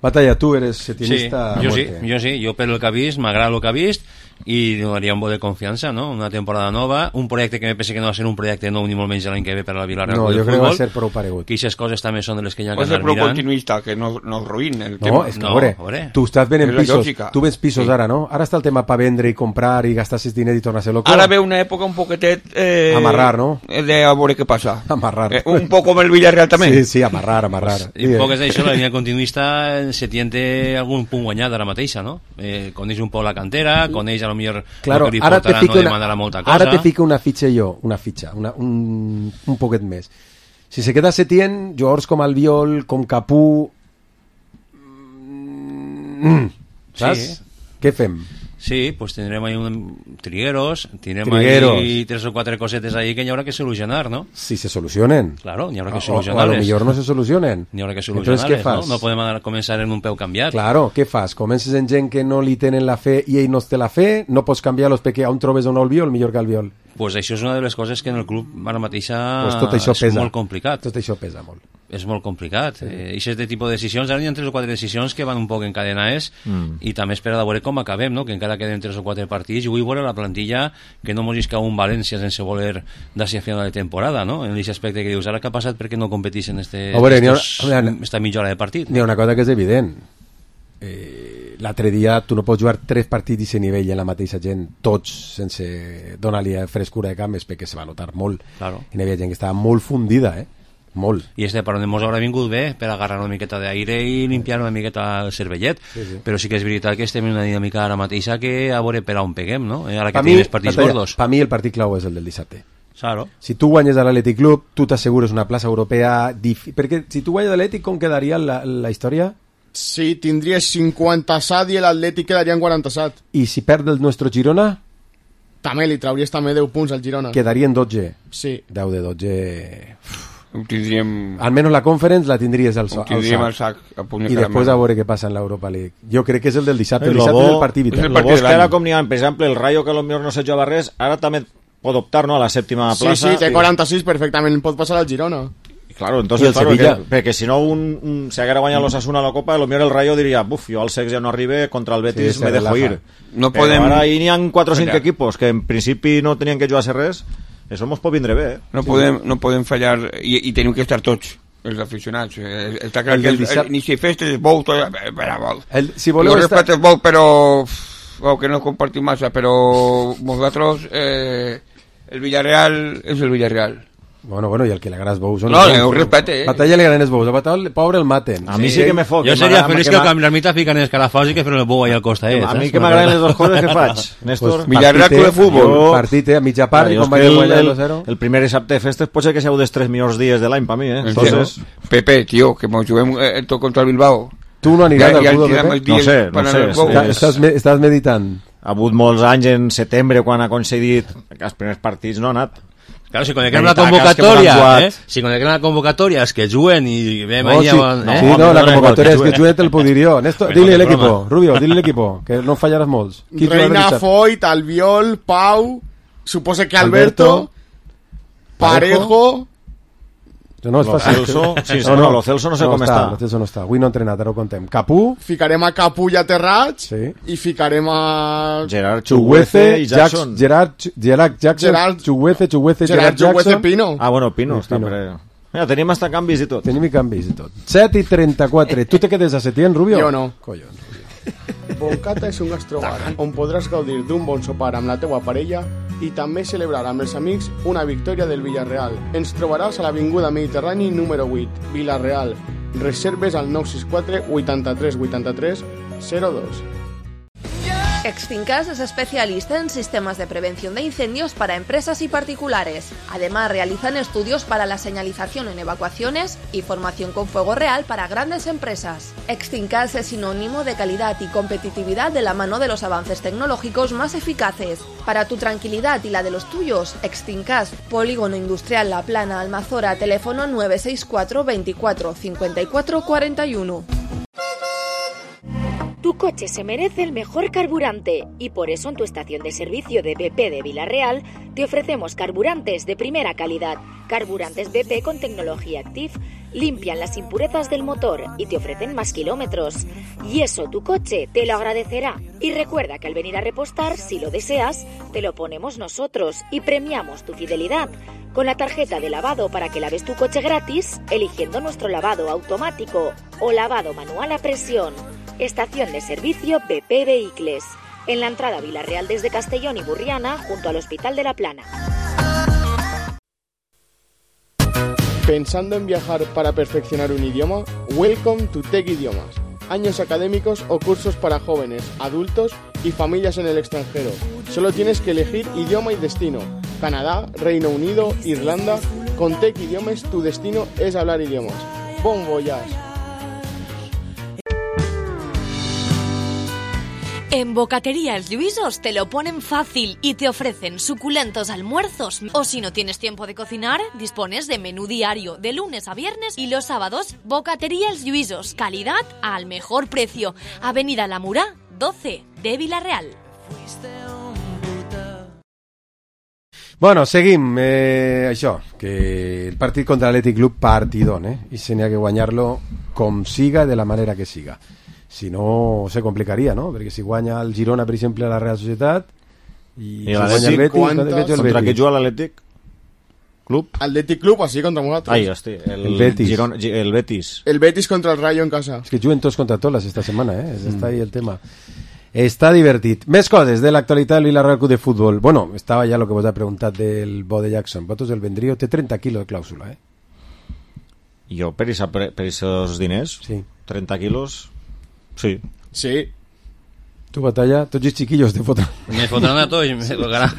Batalla, tu eres Sí, setienista. a jo sí, muerte. jo sí, jo per el que he vist, m'agrada el que he vist i donaria un bo de confiança, no? Una temporada nova, un projecte que me pensa que no va ser un projecte nou ni molt menys l'any que ve per a la Villarreal No, Club de jo crec que va Futbol, ser prou paregut. que aquestes coses també són de les que hi ha que Va ser anar prou mirant. continuista, que no, no es ruïn el No, tema. és que, No, a veure, a veure. tu estàs venent És la pisos, lògica. tu vens pisos Sí. ara, no? Ara està el tema per vendre i comprar i gastar sis diners i tornar a ser loco. Ara ve una època un poquetet... Eh, Amarrar, no? De a veure què passa. Amarrar. Eh, un poc com el Villarreal també. Sí, sí, amarrar, amarrar. I un poc és això, la línia continuista se tiente algun punt guanyat ara mateixa, no? Eh, coneix un poc la cantera, coneix a lo millor Claro, el que li ara te portarà, fico no una, demanarà molta cosa. ara te fico una fitxa jo, una fitxa, una, un, un poquet més. Si se queda Setién, jugadors com Albiol, com Capú... Mm, saps? Sí. Què fem? Sí, pues tindrem ahí un trigueros, tindrem Trigueros. ahí tres o quatre cosetes ahí que n'hi haurà que solucionar, ¿no? Si se solucionen. Claro, n'hi haurà que O, o, o a lo solucionar-les. millor no se solucionen. N'hi haurà que Entonces, què solucionar-les, fas? no? No podem anar, començar en un peu canviat. Claro, què fas? Comences en gent que no li tenen la fe i ell no té la fe, no pots canviar los perquè on trobes un Albiol millor que Albiol. Pues això és una de les coses que en el club ara mateixa Pues tot això és pesa. molt complicat. Tot això pesa molt. és molt complicat. Sí. Eh, Ixes de tipus de decisions, ara hi ha tres o quatre decisions que van un poc encadenades mm. i també espera de veure com acabem, no? Que encara queden tres o quatre partits i vull veure la plantilla que no mos isca un València sense voler d'ací a final de temporada, no? En aquest aspecte que dius, ara què ha passat perquè no competeixen este, oh, veure, estos, ha, esta mitja hora de partit? N'hi ha una cosa que és evident. Eh, l'altre dia tu no pots jugar tres partits d'aquest nivell en la mateixa gent, tots sense donar-li frescura de camp, perquè se va notar molt. Claro. I n'hi havia gent que estava molt fundida, eh? Molt. I este per on mos haurà vingut bé per agarrar una miqueta d'aire i limpiar una miqueta el cervellet, sí, sí. Però sí que és veritat que estem en una dinàmica ara mateixa que a veure per on peguem, no? Ara que tenim els partits gordos. Per mi el partit clau és el del dissabte. Claro. Si tu guanyes a l'Atlètic Club, tu t'assegures una plaça europea dif... perquè si tu guanyes a l'Atlètic, com quedaria la, la història? Sí, tindries cinquanta-set i l'Atlètic quedaria en quaranta-set. I si perd el nostre Girona? També li trauries també deu punts al Girona. Quedarien dotze. Sí. deu de dotze... Tindríem... Almenys la Conference la tindries al, al sac, al sac a i després a veure què passa en l'Europa League. Jo crec que és el del dissabte, el dissabte és el partit vital. El bo és que ara com n'hi ha, per exemple, el Rayo que potser no se juga res, ara també pot optar, no?, a la sèptima plaça. Sí, sí, té quaranta-sis, perfectament pot passar al Girona. Claro, entonces, claro, que, perquè si no un, un, si haguera guanyat l'Osasuna a la Copa, potser el Rayo diria, buf, jo al sex ja no arribe, contra el Betis sí, me dejo ir. No però podem... ara hi n'hi ha quatre o cinc equipos que en principi no tenien que jugar-se res. Això mos pot vindre bé, eh? No, sí. podem, no podem fallar i, i tenim que estar tots els aficionats. Eh, està clar el que el, el, ni si festes és bou, tot, eh, el, si voleu jo estar... respeto és bou, però bou, que no compartim massa, però vosaltres eh, el Villarreal és el Villarreal. Bueno, bueno, i el que li agrada els bous... No, ho respecte, eh? Batalla li agraden els bous, a Batalla, pobre, el maten. A mi sí, sí que me foc. Jo seria feliç que amb l'ermita fiquen els calafós i que feren el bou allà al costat. A mi que m'agraden les dues coses que faig, Néstor. Villarreal de futbol. Partit, eh, a mitja part, i com va guanyar el dos zero. El primer dissabte de festes pot ser que siau dels tres millors dies de l'any per mi, eh? Entonces... Pepe, tio, que mos juguem tot contra el Bilbao. Tu no aniràs al futbol, Pepe? No sé, no sé. Estàs meditant. Ha hagut molts anys en setembre quan ha concedit els primers partits, no ha anat. Claro, si coneguen la convocatòria, eh? Si coneguen la convocatòria, és que juguen i veiem oh, ahí... Sí, eh? sí, no, la convocatòria és que juguen te'l puc dir jo. Néstor, dile l'equipo, Rubio, dile l'equipo, que no fallaràs molts. Reina, Foyt, Albiol, Pau, supose que Alberto, Alberto Parejo... No és fàcil. Celso, sí, no, no, lo Celso no sé no com està. Lo Celso no està. Avui no ha entrenat, ara ho contem. Capú. Ficarem a Capú i a Terrats. Sí. I ficarem a... Gerard Chuguece i Jackson. Gerard, Gerard Jackson. Gerard Chuguece, Chuguece, Gerard, Gerard Jackson. Pino. Ah, bueno, Pino. Està Pino. Mira, tenim hasta canvis i tot. Tenim i canvis i tot. set i trenta-quatre. Tu te quedes a Setién, Rubio? Jo no. Collons. Boncata és un gastrobar on podràs gaudir d'un bon sopar amb la teua parella i també celebrar amb els amics una victòria del Villarreal. Ens trobaràs a l'Avinguda Mediterrani número vuit, Villarreal. Reserves al nou sis quatre vuitanta-tres vuitanta-tres zero dos. Extincas es especialista en sistemas de prevención de incendios para empresas y particulares. Además, realizan estudios para la señalización en evacuaciones y formación con fuego real para grandes empresas. Extincas es sinónimo de calidad y competitividad de la mano de los avances tecnológicos más eficaces. Para tu tranquilidad y la de los tuyos, Extincas, Polígono Industrial La Plana, Almazora, teléfono nueve seis cuatro veinticuatro cincuenta y cuatro cuarenta y uno. Tu coche se merece el mejor carburante y por eso en tu estación de servicio de B P de Villarreal te ofrecemos carburantes de primera calidad. Carburantes B P con tecnología Active limpian las impurezas del motor y te ofrecen más kilómetros. Y eso tu coche te lo agradecerá. Y recuerda que al venir a repostar, si lo deseas, te lo ponemos nosotros y premiamos tu fidelidad con la tarjeta de lavado para que laves tu coche gratis eligiendo nuestro lavado automático o lavado manual a presión. Estación de servicio B P Vehicles, en la entrada a Villarreal desde Castellón y Burriana, junto al Hospital de la Plana. ¿Pensando en viajar para perfeccionar un idioma? Welcome to Tech Idiomas. Años académicos o cursos para jóvenes, adultos y familias en el extranjero. Solo tienes que elegir idioma y destino. Canadá, Reino Unido, Irlanda. Con Tech Idiomas tu destino es hablar idiomas. Bon voyage. En Bocatería Els Lluïsos te lo ponen fácil y te ofrecen suculentos almuerzos. O si no tienes tiempo de cocinar, dispones de menú diario de lunes a viernes y los sábados. Bocatería Els Lluïsos, calidad al mejor precio. Avenida La Murá, doce de Villarreal. Bueno, seguim. Eh, això, que el partit contra l'Atlètic Club partidón, eh? I se n'hi ha que guanyar-lo com siga, de la manera que siga. Si no, se complicaria, no? Perquè si guanya el Girona, per exemple, a la Real Societat, i, I si guanya el Betis, quantes... contra què juga l'Atlètic Club? Atlètic Club, així contra nosaltres. Ai, hosti, el, el Betis. Girona, el Betis. El Betis contra el Rayo en casa. És que juguen tots contra totes esta setmana, eh? Mm. Està ahí el tema. Està divertit. Més coses de l'actualitat del Villarreal Club de Futbol. Bueno, estava ja el que vos ha preguntat del Bo de Jackson. Vosaltres el vendríeu, té trenta quilos de clàusula, eh? Jo, per aquests diners, sí. trenta quilos, sí. Sí. Tu, Batalla, tots els chiquillos te fotran. Me fotran a tots, me tocarà.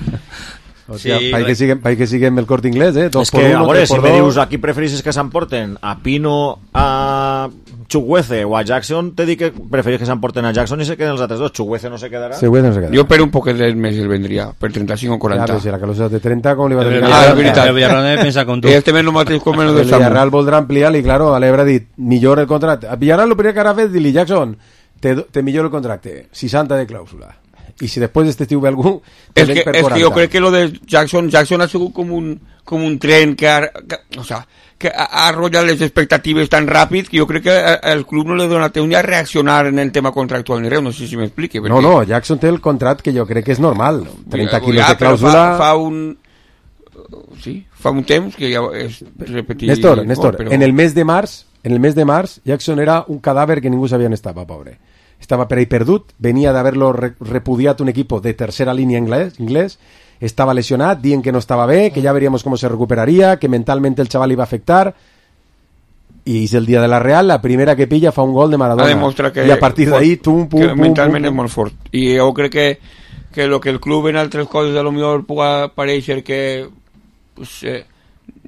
Hòstia, sí, país que siguem, país que siguem el Corte Inglés, eh? Dos és que, uno, a veure, si me dos. dius aquí prefereixes que s'emporten a Pino, a Chukwueze o a Jackson, te dic que preferís que s'emporten a Jackson i se queden els altres dos. Chukwueze no se quedarà. Chukwueze no se quedarà. Jo per un poquet més el vendria, per trenta-cinc o quaranta. Ja, però si la clàusula de trenta, com li va tenir? Ah, és veritat. El Villarreal pensa com tu. Ells també no mateix com el de el Samu. Villarreal voldrà ampliar i, claro, l'Ebre ha dit, millor el contracte. A Villarreal el primer que harà fet, dir-li, Jackson, te, te millor el contracte, seixanta de clàusula. Y si después de este estiu ve algú es que, es que yo creo que lo de Jackson Jackson ha sido como un, como un tren que ha, que, o sea, que ha arrollat les expectatives tan ràpid que jo crec que el club no li dona temps ni a reaccionar en el tema contractual ni res, no sé si m'explique perquè... no, no, Jackson té el contract que jo crec que és normal, trenta quilos ja, de clàusula fa, fa un sí, fa un temps que ja és repetir Néstor, Néstor, no, però... en el mes de març en el mes de març Jackson era un cadàver que ningú sabia on estava, pobre. Estaba per ahí perdut, venía de haberlo re repudiat un equipo de tercera línea inglés, inglés, estaba lesionat, dient que no estaba bé, que ya veríamos cómo se recuperaría, que mentalmente el chaval iba a afectar, y es el día de la Real, la primera que pilla fa un gol de Maradona, que, y a partir de ahí, tum, pum, que pum, mentalment pum, és molt fort, i jo crec que, que lo que el club en altres coses a lo millor puga pareixer que, pues, eh,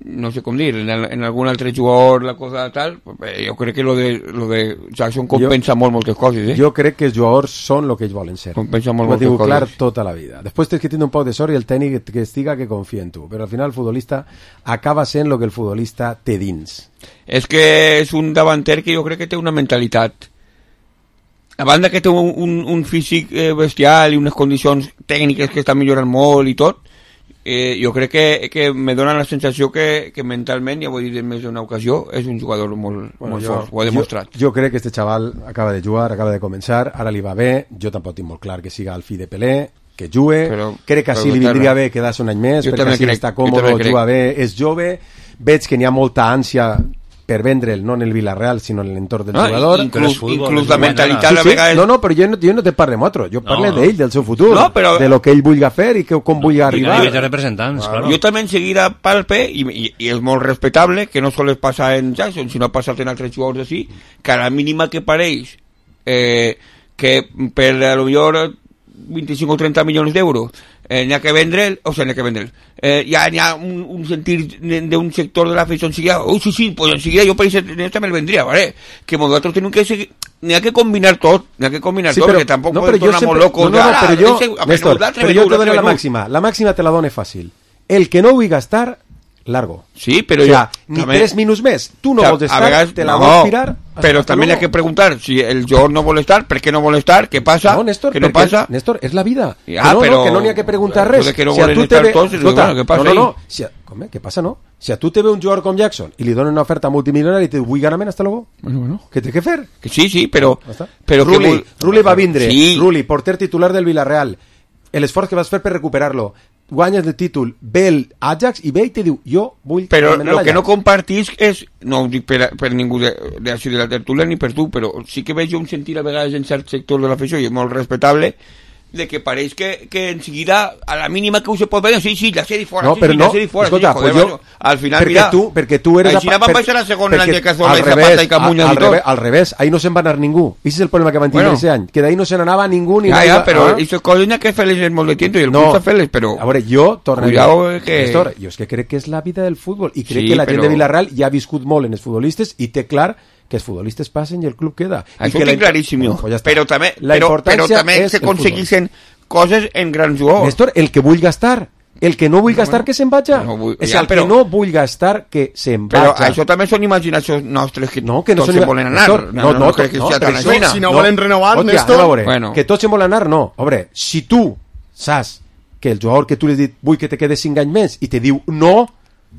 no sé com dir, en, el, en algun altre jugador la cosa tal, eh, jo crec que lo de, lo de Jackson compensa jo, molt moltes coses, eh? Jo crec que els jugadors són el que ells volen ser. Compensa molt ho moltes coses. Clar tota la vida. Després tens que tenir un poc de sort i el tècnic que estiga que confia en tu, però al final el futbolista acaba sent el que el futbolista té dins. És que és un davanter que jo crec que té una mentalitat, a banda que té un, un, un físic eh, bestial i unes condicions tècniques que estan millorant molt i tot, Eh, jo crec que, que me dona la sensació que, que mentalment, ja ho he dit en més d'una ocasió, és un jugador molt, bueno, molt jo, fort, ho ha demostrat. Jo, jo crec que este xaval acaba de jugar, acaba de començar, ara li va bé, jo tampoc tinc molt clar que siga el fill de Pelé, que jugue, però, crec que així li vindria bé quedar-se un any més, jo perquè així crec, està còmode, juga bé, és jove, veig que n'hi ha molta ànsia per vendre'l, no en el Villarreal, sinó en l'entorn del ah, jugador. Inclús, inclús la mentalitat... Sí, sí, sí. Vegades... No, no, però jo no, jo no te parlo amb otro, jo parlo no, no. d'ell, del seu futur, no, però... de lo que ell vulgui fer i que, com vulgui arribar. I de representants, claro. claro. Jo també en seguida palpe, i, i, i és molt respectable, que no sols passa en Jackson, sinó ha passat en altres jugadors així, que a la mínima que pareix eh, que per a lo millor vint-i-cinc o trenta milions d'euros eh, n'hi ha que vendre'l, o sigui, n'hi ha que vendre'l eh, ja n'hi ha un, un sentir d'un sector de l'afició enseguida, oh sí, sí, pues enseguida jo per això també el vendria, ¿vale? Que nosaltres tenim que seguir, n'hi ha que combinar tot, n'hi ha que combinar sí, tot, però, perquè tampoc no, podem tornar molt locos. No, no, no, però jo, Néstor, però jo te dono la màxima, la màxima te la dono fàcil. El que no vull gastar, largo. Sí, però o sea, jo... ni també, tres minuts més. Tu no o sea, vols estar, vegades, te la no, vols tirar... Però també hi ha que preguntar si el jugador no vol estar, per què no vol estar, què passa, no, Néstor, què no passa... Néstor, és la vida. Ja, que no, però... no, que no n'hi ha que preguntar res. Que no si a tu te ve... tots, Escolta, bueno, què passa no, no, no. ahí? Si a... Com, què passa, no? Si a tu te ve un jugador com Jackson i li donen una oferta multimilionària i te diu, vull ganar-me'n, hasta luego. Bueno, bueno. Què té que fer? Que sí, sí, però... però Ruli, que vol... Ruli va vindre. Sí. Ruli, porter titular del Villarreal. L'esforç que vas fer per recuperar-lo. Guanyes el títol, ve el Ajax i ve i te diu, jo vull... Però el que no compartís és, no ho dic per, per ningú de, de, de la tertúlia ni per tu, però sí que veig un sentir a vegades en cert sector de l'afició, i és molt respectable, de que pareix que, que en seguida, a la mínima que ho se pot veure, sí, sí, la sèrie fora, no, sí, però sí, no, la sèrie fora, escolta, sí, joder, pues jo, al final, perquè mira, tu, perquè tu eres... Així van baixar la segona l'any de Cazorla i revés, Zapata i Camunya al, i tot. revés, al revés, ahí no se'n va anar ningú. Ese és el problema que van tenir bueno, ese any, que d'ahí no se n'anava ningú ni... Ja, ja, va, però ah? aquestes coses n'hi ha que fer-les en molt de temps i el no, club s'ha fer-les, però... A veure, jo, torna Cuidado que... Néstor, jo és que crec que és la vida del futbol i crec sí, que la però... gent de Villarreal ja ha viscut molt en els futbolistes i té clar que els futbolistes passen i el club queda. Això ho tinc la... claríssim, bueno, pues ja però també, la però, però també s'aconseguissin coses en grans jugadors. Néstor, el que vull gastar, el que no vull no, gastar, bueno, que se'n vaja. No vull, és ja, el però, que no vull gastar, que se'n vaja. Però això també són imaginacions nostres que, no, que no tots se volen anar. Néstor, no, no, no, no, crec que no, sea tan això, si no, no volen renovar, Néstor, veure, bueno. Que tots se volen anar, no. A veure, si tu saps que el jugador que tu li has dit vull que te quedes cinc anys més i te diu no...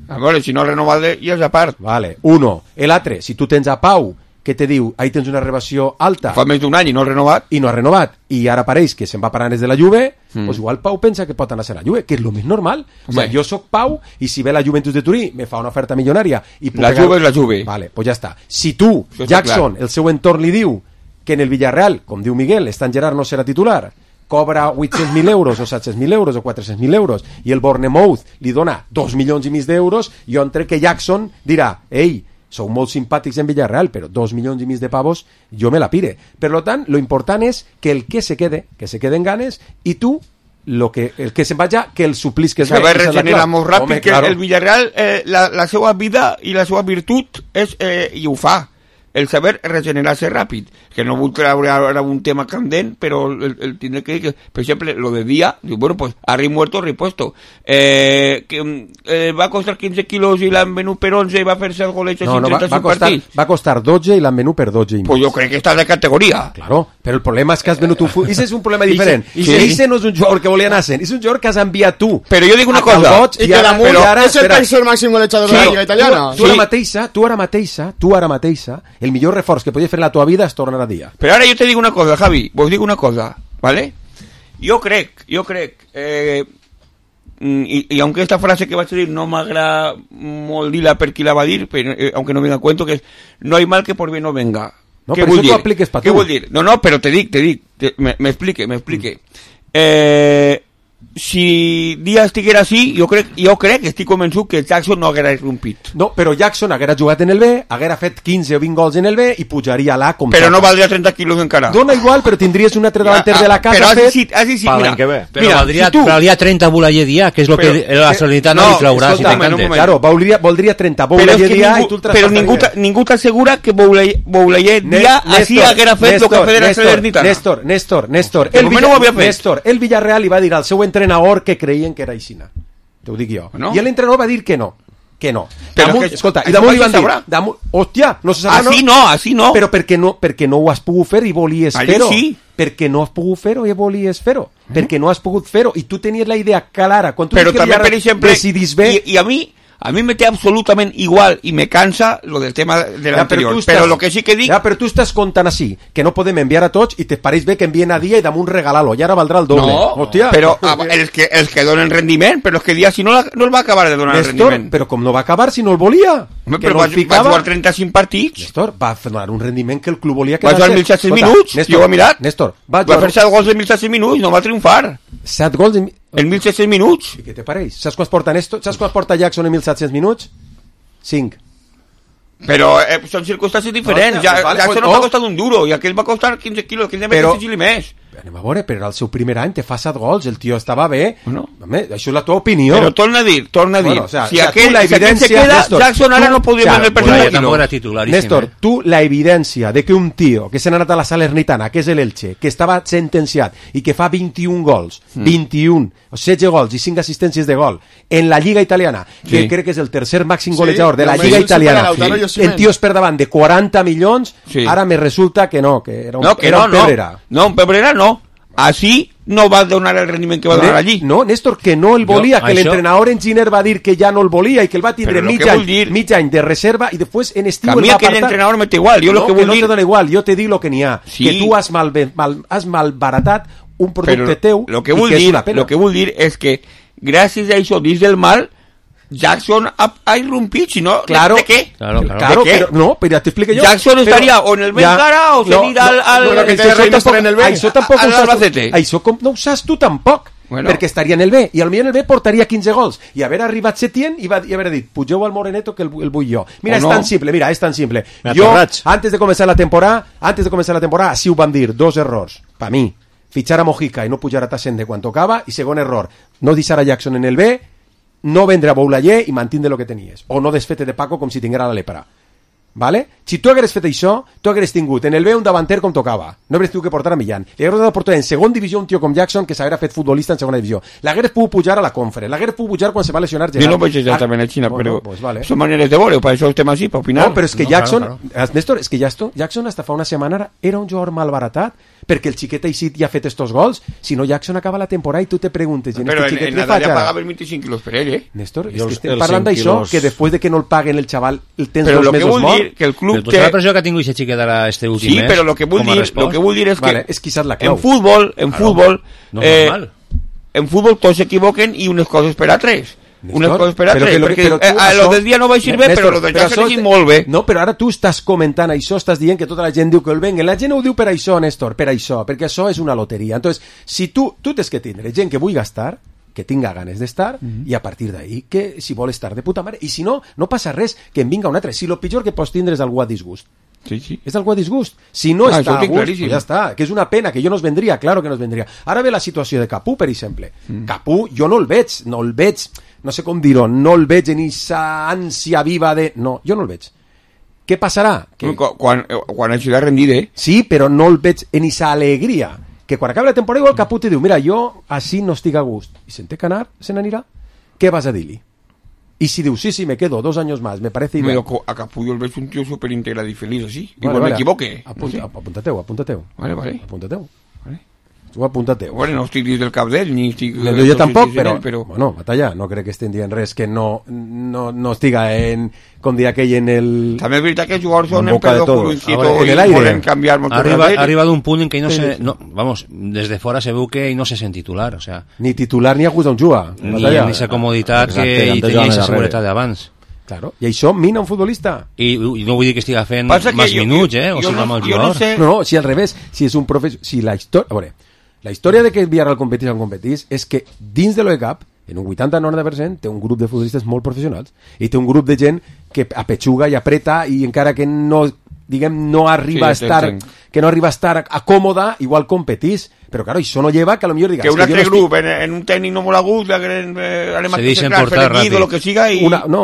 A veure, si no renovat ja és a part. Vale, uno. L'altre, si tu tens a Pau que te diu, ahí tens una renovació alta... Fa més d'un any i no ha renovat. I no ha renovat. I ara pareix que se'n va parar des de la Juve, mm. pues igual Pau pensa que pot anar a ser la Juve, que és el més normal. O sea, jo soc Pau i si ve la Juventus de Turí me fa una oferta milionària... I la Juve és la Juve. Vale, pues ja està. Si tu, Jackson, el seu entorn li diu que en el Villarreal, com diu Miguel, Stan Gerrard no serà titular, cobra vuit-cents mil euros o set-cents mil euros o quatre-cents mil euros i el Bournemouth li dona dos milions i mig d'euros, jo entre que Jackson dirà, ei, sou molt simpàtics en Villarreal, però dos milions i mig de pavos jo me la pire. Per lo tant, lo important és que el que se quede, que se queden ganes, i tu, lo que, el que se'n vaja, que el suplisques bé. Saber regenerar molt ràpid. Home, que claro. El Villarreal, eh, la, la seva vida i la seva virtut és, eh, i ho fa, el saber regenerar-se ràpid, que no vull treure ara un tema candent, però el, el tindré que dir que, per exemple, lo de Dia, diu, bueno, pues, arri muerto, ripuesto. Eh, que eh, va costar quinze quilos i l'han venut per onze i va fer-se el goleig no, en no, trenta-cinc va, va costar, partits. Va costar dotze i l'han venut per dotze i mig. Pues jo crec que està de categoria. Claro, però el problema és que has venut un... Fu... Ese és un problema diferent. Ese, ese, ese no és un jugador que volia anar sent, és un jugador que has enviat tu. Però jo dic una cosa. I que damunt és el tercer màxim golejador de la Lliga Italiana. Tu, tu, ara mateixa, tu ara mateixa, tu ara mateixa, el millor reforç que fer en la tua vida es tornar a Dia. Però ara jo te dic una cosa, Javi, vos dic una cosa, ¿vale? Jo crec, jo crec, eh, i, i aunque esta frase que vaig a dir no m'agrada molt dir-la per qui la va dir, però, eh, aunque no venga a cuento, que és no hay mal que por bien no venga. No, què però vull això dir? t'ho apliques pa Què tu. vull dir? No, no, però te dic, te dic, te, me, me explique, me explique. Mm. Eh... Si Díaz estiguera així, jo crec, jo crec, estic convençut que Jackson no haguera rompit. No, però Jackson haguera jugat en el B, haguera fet quinze o vint gols en el B i pujaria a l'A com Però toca. no valdria trenta quilos encara. Dona igual, però tindries un altre davanter de la casa però fet... sí, sí, sí, mira, que però mira, valdria, si tu... valdria trenta Boulaye Dia, que és lo però, que la Salernitana no, li traurà si t'encanta. Claro, voldria, voldria trenta Boulaye Dia i tu el però ningú, ningú t'assegura que Boulaye Dia així haguera fet el que ha fet la Salernitana. Néstor, Néstor, Néstor, el, Villa, no Néstor, el Villarreal li va dir al seu entrenador que creien que era aixina. T'ho dic jo. No? I l'entrenador va dir que no. Que no. Però damunt, que, escolta, i damunt li van dir, damunt, hòstia, no se sabrà, així no, així no. Però perquè no, perquè no ho has pogut fer i volies allí fer-ho. Sí. Perquè no has pogut fer-ho i volies fer-ho. Mm. Perquè no has pogut fer-ho i tu tenies la idea clara. Quan tu però també, per exemple, decidís bé... I, i a mi... A mí me té absolutament igual i me cansa lo del tema de l'anterior, ja, però lo que sí que dic... Ja, però tu estàs contant així, que no podem enviar a tots i te pareix bé que envien a Dia i damunt regalar-lo, i ara valdrà el doble. No, hòstia. Però els que, els que donen rendiment, però és que Dia si no, la, no el va acabar de donar Néstor, rendiment. Però com no va acabar si no el volia? Home, que però no va, va jugar trenta-cinc partits. Néstor, va donar un rendiment que el club volia que va jugar mil set-cents minuts, Néstor, jo ho he mirat. Néstor, va, va fer set gols en mil set-cents minuts, no va triomfar. set gols en... en mil set-cents minuts. I què te pareix? Saps quan porta Néstor? Saps quan porta Jackson en mil set-cents minuts? cinc. Però eh, són circumstàncies diferents. No, ja, vale, Jackson pues, no oh. va costar un duro i aquell va costar quinze quilos, aquell de però, més més. Anem a veure, però era el seu primer any, te fa set gols, el tio estava bé. Bueno. Home, això és la tua opinió. Però torna a dir, torna a dir, bueno, o sea, si, o sea, aquell, la si aquell se queda, Néstor, Jackson ara tu, no podria claro, venir el personal. Tampoc era titularíssim. Néstor, eh? tu la evidència de que un tio que s'ha anat a la Salernitana, que és l'Elche, que estava sentenciat i que fa vint-i-un gols, mm. vint-i-un, setze gols i cinc assistències de gol en la Lliga Italiana, que sí. crec que és el tercer màxim sí, golejador de la no, Lliga Italiana, sí. en tios per davant de quaranta milions, sí. ara me resulta que no, que era un, no, que era no, un Pebrera. No, un Pebrera no. Així no va donar el rendiment que va donar allí. No, Néstor, que no el volia, jo, que això... l'entrenador Enginner va dir que ja no el volia i que el va tindre mig any, dir... mig any de reserva i després en estiu el va apartar. A mi aquell entrenador me té igual, jo no, lo que vull vull dir... No te dona igual, jo te dic lo que n'hi ha, sí. que tu has, mal, mal, has malbaratat un producte Però teu lo que i vull que dir, és una pena. lo que vull dir és que gràcies a això, dins del mal, Jackson ha, ha irrumpit, si no, claro, ¿de qué? Claro, claro. claro ¿De qué? Pero, no, pero ya te explico yo. Jackson pero, estaría o en el Bencara o se no, irà al... al no, no, que això tampoc, en el B. això tampoc al ho saps, Albacete. això com, no ho saps tu tampoc. Bueno. Perquè estaria en el B, i potser en el B portaria quinze gols, i haver arribat Setién i, va, i haver dit, pugeu al Moreneto que el, el vull jo. Mira, o és no. tan simple, mira, és tan simple. Jo, antes de començar la temporada, antes de començar la temporada, sí ho vam dir, dos errors, pa mi, fitxar a Mojica i no pujar a Tassende quan tocava, i segon error, no deixar a Jackson en el B, no vendre a Boulaye i mantindre el que tenies, o no desfete de Paco com si tinguera la lepra. vale? Si tu hagués fet això, tu hagués tingut en el B un davanter com tocava. No hagués tingut que portar a Millán. Li hagués donat portar en segona divisió un tio com Jackson que s'hagués fet futbolista en segona divisió. L'hagués pogut pujar a la Conference, l'hagués pogut pujar quan se va lesionar Gerard. Jo no veig exactament a Xina, bueno, però pues vale. són maneres de veure, per això estem així, per opinar. No, però és que no, Jackson, claro, claro. Néstor, és que Jackson, Jackson hasta fa una setmana era un jugador malbaratat perquè el xiquet així ja ha fet estos gols. Si no, Jackson acaba la temporada i tu te preguntes... Però en, en Nadal ja pagava vint-i-cinc quilos per ell, eh? Néstor, és que estem parlant d'això, que després de que no el paguen el xaval, el tens però dos mesos mort. Dir que el club té... la pressió que ha tingut aquest xiquet ara este últim sí, mes, però lo que vull dir, lo que vull dir és que vale, és quizás la clau. En futbol, en claro, futbol, no eh, normal. En futbol tots s'equivoquen i unes coses per a tres. Néstor, unes coses per a tres, que, perquè tu, eh, a lo del dia no vaig ir bé, però lo del Jackson és molt bé. No, però ara tu estàs comentant això, estàs dient que tota la gent diu que el venguen. La gent ho diu per això, Néstor, per això, perquè això és una loteria. Entonces, si tu, tu tens que tindre gent que vulgui gastar, que tinga ganes d'estar, mm-hmm. i a partir d'ahí, que si vol estar de puta mare, i si no, no passa res, que en vinga un altre. Si lo pitjor que pots tindre és algú a disgust. Sí, sí. És algú a disgust. Si no ah, està a gust, pues ja està. Que és una pena, que jo no es vendria, claro que no es vendria. Ara ve la situació de Capú, per exemple. Mm. Capú, jo no el veig, no el veig, no sé com dir-ho, no el veig en esa ànsia viva de... No, jo no el veig. Què passarà? Que... Quan, quan hagi de rendir, eh? Sí, però no el veig en esa alegria. Que quan acabi la temporada igual Capú te diu, mira, jo així no estic a gust. I se'n té que anar, se n'anirà. Què vas a dir-li? Y si diu, sí, sí, me quedo dos años más, me parece ideal. Pero a Capullo el ves un tío súper íntegrado y feliz así. Vale, Igual vale, me equivoque. Apunta, no sé. Apuntateu, apuntateu. Vale, vale. Apuntateu. Vale. Tu apuntateu. Bueno, no estic dins del cap d'ell, ni estic... No, jo tampoc, però, ell, però... Bueno, batalla, no crec que estem dient res que no, no, no estiga en... Com dir aquell en el... També és veritat que els jugadors són en en pedo curuncito en el i aire. volen canviar molt arriba, ha arribat un punt en què no sí, se... sí. No, vamos, desde fora se veu que no se sent titular, o sea... Ni titular ni a gust on juga. Ni en esa comoditat que ell tenia esa seguretat d'abans. Claro, i això mina un futbolista. I, i no vull dir que estiga fent Passa més jo, minuts, jo, eh? O jo sigui, no, amb el jo jugador. No, sé... no, no, si al revés, si és un professor... Si la història... A veure, la història de que el Villarreal competís on competís és que dins de l'O E C A P, en un vuitanta noranta per cent, té un grup de futbolistes molt professionals i té un grup de gent que apetxuga i apreta i encara que no, diguem, no arriba sí, a estar... Tenc. que no arriba a estar acòmoda, igual competís. Però, claro, això no lleva que a lo millor digas... Que un altre grup, estic... en, en un tècnic no molt a gust, eh, anem a deixen portar ràpid. Lo que siga i... Una, no,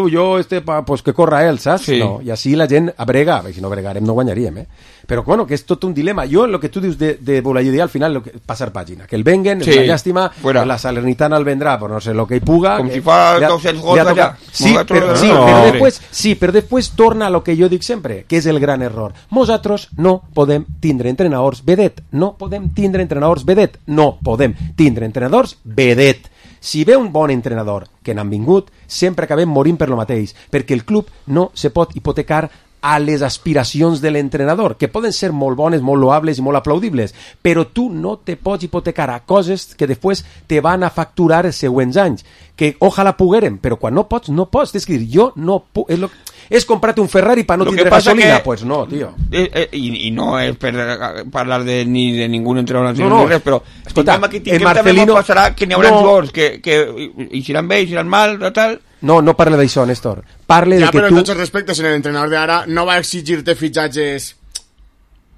o jo, este, pa, pues que corra él, saps? Sí. No, i així la gent brega, si no bregarem no guanyaríem, eh? Però, bueno, que és tot un dilema. Jo, el que tu dius de, de Bolaïdi, al final, lo que, passar pàgina. Que el venguen, sí. És una llàstima, Fuera. La Salernitana el vendrà, però no sé, lo que hi puga... Com que, si fa dos-cents gols allà. Sí, però, sí, no. però després, sí, però després torna a lo que jo dic sempre, que és el gran error. Nosaltres no podem tindre entrenadors vedet, no podem tindre entrenadors vedet, no podem tindre entrenadors vedet. Si ve un bon entrenador que n'han vingut, sempre acabem morint per lo mateix, perquè el club no se pot hipotecar a les aspiracions de l'entrenador, que poden ser molt bones, molt loables i molt aplaudibles, però tu no te pots hipotecar a coses que després te van a facturar els següents anys, que ojalà poguérem, però quan no pots, no pots. És dir, jo no puc... És, lo... és comprar-te un Ferrari per no tindre gasolina? Que... Pues no, tio. Eh, eh, i, I no és per parlar de, ni de ningú entrenador, no, no. Res, però escolta, aquí el Marcelino... passarà que n'hi haurà no. jugadors que, que iran bé, iran mal, tal... No, no parle d'això, Néstor. Parle ja, de que però tu... en tots els respectes, en l'entrenador d'ara no va exigir-te fitxatges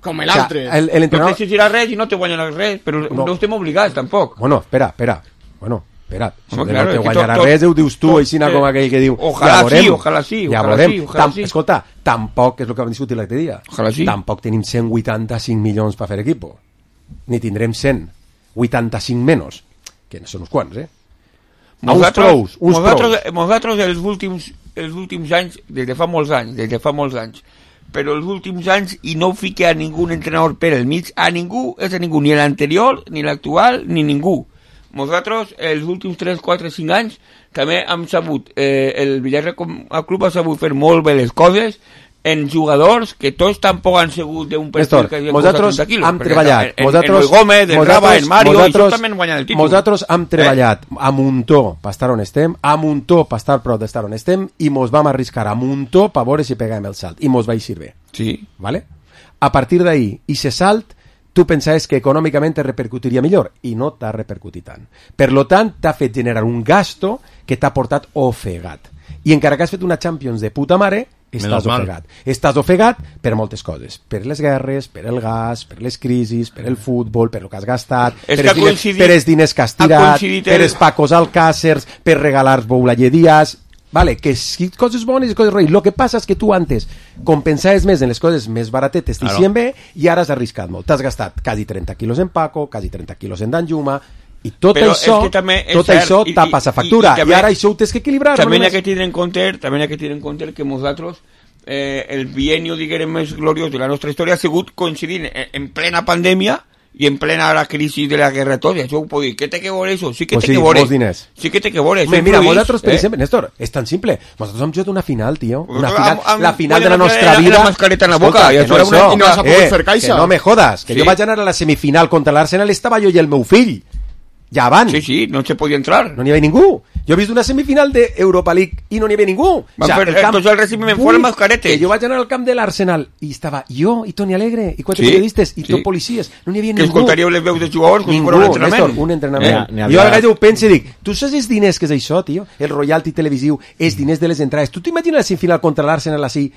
com l'altre. O sea, el, el entrenador... No t'exigirà res i no te guanyarà res, però no, no estem obligats, tampoc. Bueno, espera, espera. Bueno, espera. Si Home, no claro, te guanyarà tot, res, ho dius tu, així eh, com aquell que diu... Ojalà ja sí, ojalà sí, ja ojalà sí, ojalà Tam, sí. Escolta, tampoc, és el que vam discutir l'altre dia, ojalà sí. Tampoc tenim cent vuitanta-cinc milions per fer equipo. Ni tindrem cent vuitanta-cinc menys, que no són uns quants, eh? Nosaltres, uns prous, uns nosaltres, prous. nosaltres els últims, els últims anys, des de fa molts anys, des de fa molts anys, però els últims anys, i no fique a ningú entrenador per el mig, a ningú, és a ningú, ni l'anterior, ni l'actual, ni ningú. Nosaltres, els últims tres, quatre, cinc anys, també hem sabut, eh, el Villarreal com a club ha sabut fer molt bé les coses, en jugadors que tots tampoc han sigut d'un perfil que havia costat trenta quilos. Hem treballat. En, en, en Luis Gómez, en Raba, en Mario, i tots també han guanyat el títol. Nosaltres hem treballat eh? a muntó per estar on estem, a muntó per estar prou d'estar on estem, i mos vam arriscar a muntó per veure si pegàvem el salt. I mos va eixir bé. Sí. ¿Vale? A partir d'ahí, i se salt, tu pensaves que econòmicament te repercutiria millor, i no t'ha repercutit tant. Per lo tant, t'ha fet generar un gasto que t'ha portat ofegat. I encara que has fet una Champions de puta mare, estàs ofegat. Estàs ofegat per moltes coses. Per les guerres, per el gas, per les crisis, per el futbol, per el que has gastat, és per, els diners, per els diners que has tirat, per els Pacos Alcàcers, per regalar Boulaye Díaz... vale, que sí, coses bones i coses roïnes. Lo que passa és que tu antes compensaves més en les coses més baratetes, t'hicien bé, i ara has arriscat molt. T'has gastat quasi trenta quilos en Paco, quasi trenta quilos en Danjuma, i tot Però això, és que també és tot cert, això i- tapa i- la factura, i- i i, també- ara això ho tens que equilibrar. També no n'hi ha només- que tindre en compte, també n'hi ha que tindre en compte que nosaltres eh, el bienio, diguem, més gloriós de la nostra història ha sigut coincidint en, en plena pandèmia i en plena la crisi de la guerra tot, i això ho puc dir. Què té que veure això? Sí que Pues té sí, que veure. molts diners. Sí que té que veure. Hombre, Això mira, influïx, nosaltres, per eh? exemple, Néstor, és tan simple. Nosaltres hem jugat una final, tio. Una Amb- final, amb- la final de podem la nostra hacer la- vida. la mascareta en la boca, i que això no era és una- això. i no vas a poder Eh, fer caixa. Que no me jodas, que Sí. jo vaig anar a la semifinal contra l'Arsenal, estava jo i el meu fill. Ja van. Sí, sí, no se podia entrar. No n'hi havia ningú. Jo he vist una semifinal de Europa League i no n'hi havia ningú. Van fer- entonces el recibiment fue el mascarete. Que jo vaig anar al camp de l'Arsenal i estava jo i Toni Alegre i quatre Sí, periodistes i sí. tot policies. No n'hi havia Que ningú. escoltaríeu les veus de jugadors com si Ningú, fos un entrenament. Néstor, un entrenament. Eh, n'hi Jo havia- a vegades ho penso i dic, tu saps els diners que és això, tio? El royalty televisiu, els diners de les entrades. Tu t'imagines la semifinal contra l'Arsenal així,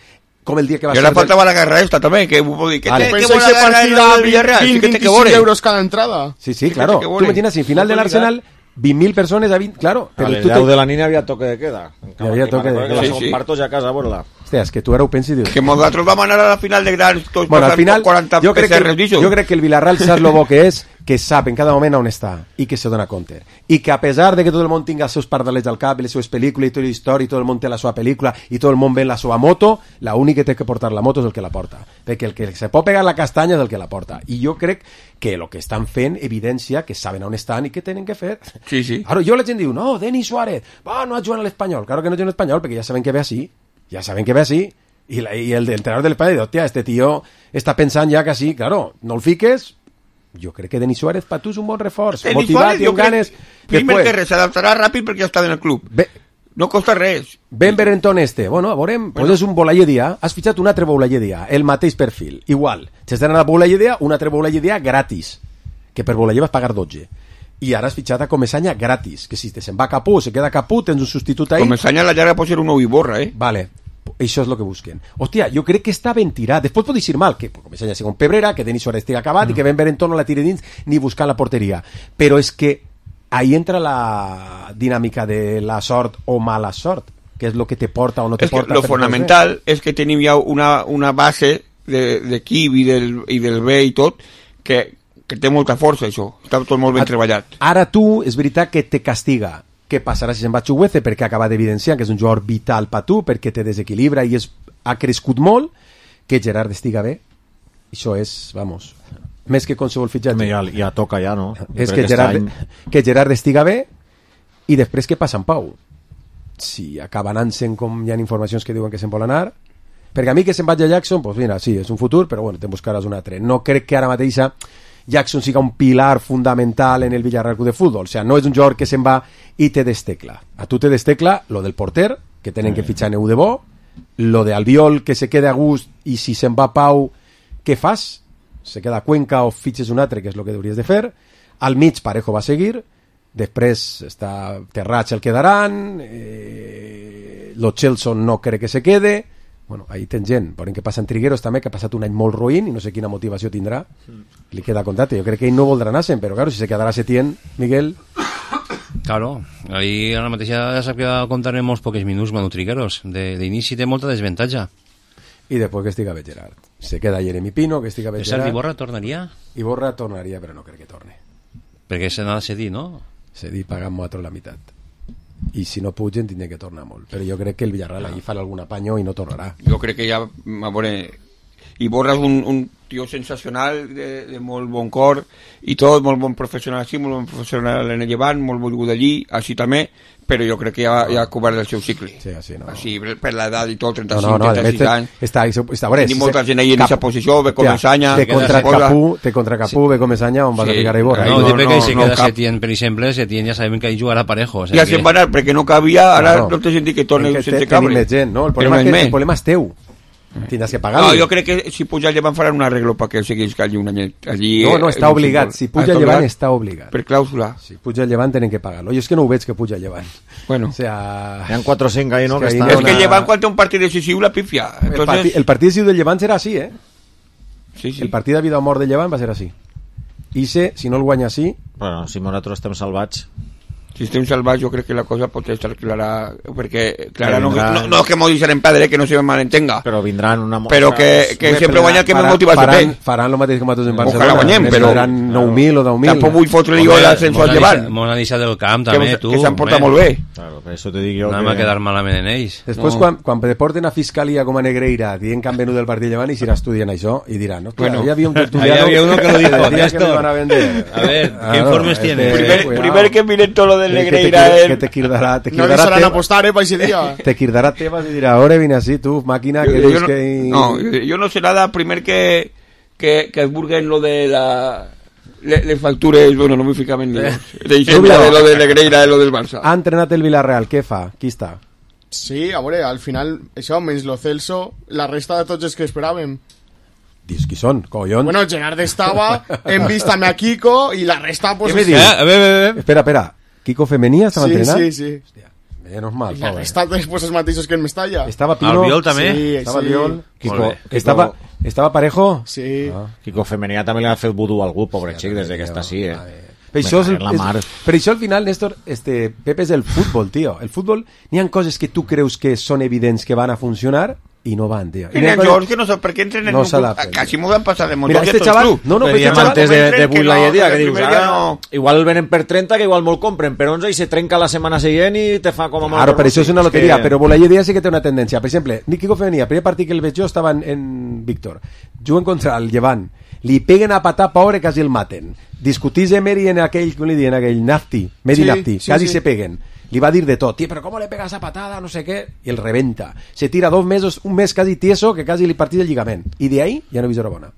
com el dia que va I ara ser... faltava la guerra esta també, que ho puc dir. Que Vale. té que Pensáis bona que guerra partida el Villarreal, sí que té que veinticinco veure. euros cada entrada. Sí, sí, claro. que Tu vole. imagines, semifinal de No l'Arsenal, vint mil persones a vint... Claro. A les tu te- deu de la nit hi havia toque de queda. Hi havia toque de queda. Sí, Sí, sí. sí. Partos ja a casa a veure-la. Hòstia, és que tu ara ho pensis i dius... Que nosaltres vam anar a la final de grans tots Bueno, al passant final, quaranta jo crec, P C Rs que, d'això. jo crec que el Villarreal sap lo bo que és, que sap en cada moment on està i que se dona compte. I que a pesar de que tot el món tinga els seus pardalets al cap, les seves pel·lícules i tota la història, i tot el món té la seva pel·lícula i tot el món ve en la seva moto, l'únic que té que portar la moto és el que la porta. Perquè el que se pot pegar la castanya és el que la porta. I jo crec que el que estan fent evidència que saben on estan i què tenen que fer. Sí, sí. Ara, jo la gent diu, no, Denis Suárez, va, no ha jugat a l'Espanyol. Claro que no juga a l'Espanyol, perquè ja saben que ve així. Ja saben que ve així. I, la, i el entrenador del Espanyol diu, hòstia, este tio està pensant ja que sí, claro, no el fiques. Jo crec que Denis Suárez per tu és un bon reforç, Denis motivat Suárez, i jo amb crec- ganes. Primer Després, que res, s'adaptarà ràpid perquè ja està en el club. Bé, no costa res. Ben Berentón este, bueno, a veurem, bueno. Pues és un Boulaye-Dia, has fitxat un altre Boulaye-Dia, el mateix perfil, igual. S'has d'anar a Boulaye-Dia, un altre Boulaye-Dia gratis, que per Boulaye vas pagar dotze. I ara has fitxat a Comesaña gratis, que si te se'n va Capú, se queda Capú, tens un substitut ahí. Comesaña a la llarga pot ser un nou Iborra, eh? Vale, això és el que busquen. Hòstia, jo crec que està ben tirat. Després pot dir mal, que Comesaña sigui un pebrera, que Denis Suárez estigui acabat mm. i que Ben Berentón no la tire dins ni buscar la porteria. Però és que ahí entra la dinàmica de la sort o mala sort, que és el que te porta o no te És que porta. lo fonamental és que tenim ja una, una base d'equip de, i, del, i del B i tot que, que té molta força, això. Està tot molt ben A- treballat. Ara tu, és veritat que te castiga. Què passarà si se'n va Chuguece? Perquè acaba d'evidenciar que és un jugador vital per tu, perquè te desequilibra i és, ha crescut molt. Que Gerard estiga bé, això és, vamos, més que qualsevol fitxatge. Ja, ja toca ja, no? És Jo que crec Gerard, aquest any- que Gerard estiga bé i després què passa amb Pau? Si acaba anant-se'n, com hi ha informacions que diuen que se'n vol anar, perquè a mi que se'n vagi a Jackson, doncs mira, sí, és un futur, però bueno, te'n buscaràs un altre. No crec que ara mateixa Jackson siga un pilar fundamental en el Villarreal Club de Fútbol. O sea, no és un jugador que se'n va i te destecla. A tu te destecla lo del porter, que tenen que fitxar Neu de bo, lo de Albiol, que se queda a gust, i si se'n va Pau, què fas? Se queda a Cuenca o fitxes un altre, que és el que hauries de fer. Al mig Parejo va seguir, després està Terrats el quedaran, eh, lo Chelson no crec que se quede. Bueno, ahí tens gent, veurem què passa en Trigueros també, que ha passat un any molt ruïn i no sé quina motivació tindrà. Li queda contacte, jo crec que ell no voldrà anar-se'n, però claro, si se quedarà Setién, Miguel... Claro, ahí ara mateix ja sap que va comptar en molts pocs minuts Manu Trigueros. De- d'inici té molta desventatge. I després que estiga bé Gerard. Se queda Jeremy Pino, que estiga bé Per cert, Gerard. Iborra tornaria? Iborra tornaria, però no crec que torne. Perquè se n'ha de cedir, no? Cedir pagant nosaltres la meitat. I si no pugen tindrà que tornar molt. Però jo crec que el Villarreal allí farà algun apanyo i no tornarà. Jo crec que ja, a veure, Iborra és un, un tio sensacional, de, de molt bon cor i tot, molt bon professional així, molt bon professional en el Llevant, molt volgut allí, així també, però jo crec que ja, ja ha cobert el seu cicle. Sí, així, no. Així, per l'edat i tot, trenta-cinc, No, no, no, trenta-sis a anys. més, està, està, veure, Tenim si molta se- gent ahí en Cap- aquesta posició, ve Hòstia, Comesaña, Té contra cosa. Capú, té contra Capú, ve Comesaña, on vas a Sí. ficar a Iborra. No, eh? no, perquè no, si no, queda cap. Setién, per exemple, Setién ja sabem que ahí jugarà parejo. O sea Ja que- se'n va anar, perquè no cabia, ara Claro. no té sentit que torni És que sense te- cable. tenim més gent, no? El Però problema, un és any que, el més. problema és teu. Tindràs que pagar-lo. No, jo crec que si puja el Llevant faran un arreglo perquè ell segueix allí un any. Allí, No, no, eh, està en obligat. futbol. Si Ah, puja el Llevant, està obligat. Per clàusula. Si puja el Llevant, tenen que pagar-lo. Jo és que no ho veig que puja el Llevant. Bueno. O sea... Hi ha quatre o cinc ahí, no? És Que que ahí estan... no És que el Llevant quan té un partit decisiu la pifia. El, Entonces, parti, el partit decisiu del Llevant serà així, eh? Sí, sí. El partit de vida o mort del Llevant va ser així. I se, si no el guanya així... Bueno, si nosaltres estem salvats... Sistema salvaje, yo creo que la cosa puede estar clara, porque clara no, no, no es que me dicen padre, que no se me malentenga, pero vendrán una pero que, que sempre guanya que me motiva faran, faran lo mateix com a tots en Barcelona, guanyem, però faran nou mil o deu mil. Tampoc vull fotre-li jo l'ascenso al llevant. Mona deixa del camp també, que, tu, que s'han portat molt bé. Claro, per això te dic jo anem que... a quedar malament en ells. Després no. quan, quan te porten a Fiscalia com a Negreira dient que han venut el partit llevant i s'irà estudiant això i diran, no, bueno, hi havia un tertuliano ahí había uno que lo dijo, que me van a vender. A ver, ¿qué informes tiene? Primer que miren todo lo del Negreira que te quirdará no li saran a apostar, eh, pa ese día. Te quirdará Tebas y dirá, ahora vine así, tú, máquina, yo, que yo eres no, que... No, yo no sé nada, primer que que, que es burguen lo de la... Les le factures, bueno, no me ficam en líos. Deixem de lo de Negreira i lo del Barça. Ha entrenat el Villarreal, què fa? Qui està? Sí, a veure, al final, això, menys lo Celso, la resta de tots els que esperàvem. Dius, qui són, collons? Bueno, Gerard estava, hem vist també a Kiko, i la resta, pues... Què me dius? Eh, a veure, a veure. Espera, espera. Kiko Femenia estava sí, entrenant? Sí, sí, sí. Menos mal, I la resta després els mateixos que en Mestalla. Estava Pino. Albiol també? Sí, estava sí. Albiol. Kiko. Estava, estava Parejo? Sí. Ah. Kiko Femenia també li ha fet vudú a algú, pobre xic, des que està així, eh? Per això, és, és, per això al final, Néstor, este, Pepe, és el futbol, tio. El futbol, n'hi ha coses que tu creus que són evidents que van a funcionar i no van, tio. I n'hi ha coses que no sé per què entren en no un club. Quasi m'ho van passar de motor. Mira, este chaval... No, no, este chaval... Antes de, de Bull la no, idea, que dius, ara, no... igual venen per trenta, que igual molt compren per onze i se trenca la setmana següent i te fa com a molt... Claro, per això és una loteria, que... però Bull la idea sí que té una tendència. Per exemple, Kiko Femenia, primer partit que el veig jo estava en, en Víctor. Juguen contra el Llevant. Li peguen a patar, pobre, quasi el maten. Discutís Emery en aquell, com li diuen, aquell Nafti, Medi sí, Nafti, sí, quasi sí. se peguen. Li va dir de tot, tío, pero ¿cómo le pegas esa patada? No sé qué. Y el reventa. Se tira dos mesos, un mes casi tieso, que casi li partís el lligament. I de ahí ja no he vist hora bona.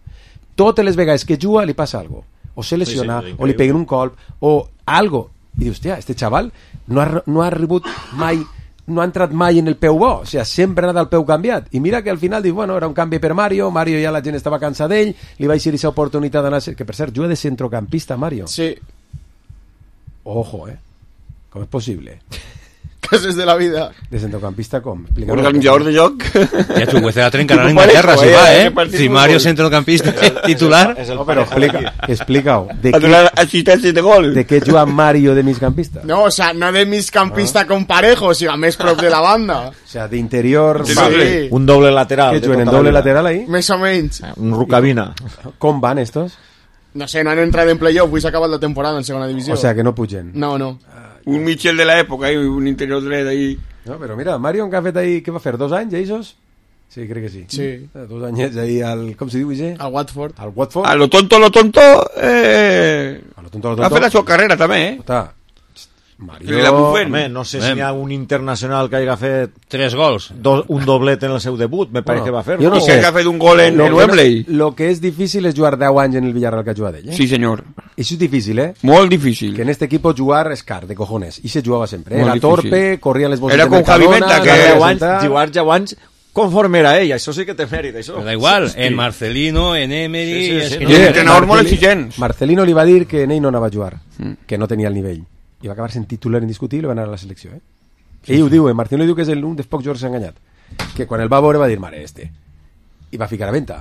Totes les vegades que juga li passa algo. O se lesiona, sí, sí, o li peguen un colp, o algo. I dius, hòstia, este chaval no ha, no ha rebut mai, no ha entrat mai en el peu bo. O sigui, sempre ha anat al peu canviat. I mira que al final dius, bueno, era un canvi per Mario, Mario ja la gent estava cansa d'ell, li va eixir aquesta oportunitat d'anar... Que per cert, juga de centrocampista, Mario. Sí. Ojo, eh? Com és possible? Cases de la vida. De centrocampista com? Un organitzador de joc. Ja Chuguece la trencarà en Inglaterra, si va, eh? Si Mario centrocampista titular. No, però explica, explica-ho. De assistència de gol. De què juga Mario de migcampista? No, o sea, no de migcampista con Parejo, sino més prop de la banda. O sea, de interior... Sí, sí. Un doble lateral. ¿Qué juguen en doble lateral ahí? Més o menys. Un Rucabina. Com van estos? No sé, no han entrat en playoff, avui s'ha acabat la temporada en segona divisió. O sea, que no pugen. No, no. Un Michel de l'època, un interior dret ahí. No, però mira, Mario, que ha fet ahí, què va fer? Dos anys, Eisos? Sí, crec que sí. Sí. Dos anyets ahí al... Com se diu, Ige? Al Watford. Al Watford. A lo tonto, lo tonto... Eh... A lo tonto, lo tonto. Ha fet la seva carrera, també, eh? Està... Mario... Home, no sé si hi ha un internacional que hagi fet... Tres gols. Do, un doblet en el seu debut, me pareix bueno, que va fer. Jo no o sé. que ha fet un gol en lo, el Wembley. Lo que és difícil és jugar deu anys en el Villarreal que ha jugat ell, eh? Sí, senyor. Això és difícil, eh? Molt difícil. Que en este equipo jugar és car, de cojones. I se jugava sempre, eh? Molt Era difícil. torpe, corria les bolses Era de con Javi Mercadona... Menta, que deu anys, jugar deu anys conforme era ell, això sí que té mèrit, això. Però da igual, en Marcelino, en Emery... Sí, sí, sí, és que no. I l'entrenador molt exigent. Marcelino li va dir que en ell no anava a jugar, mm. que no tenia el nivell. I va acabar sent titular indiscutible i va anar a la selecció, eh? Sí, ell sí. Ho diu, eh? Marcelino diu que és el, un dels pocs jugadors que s'ha enganyat. Que quan el va veure va dir, mare, este. I va ficar a venta.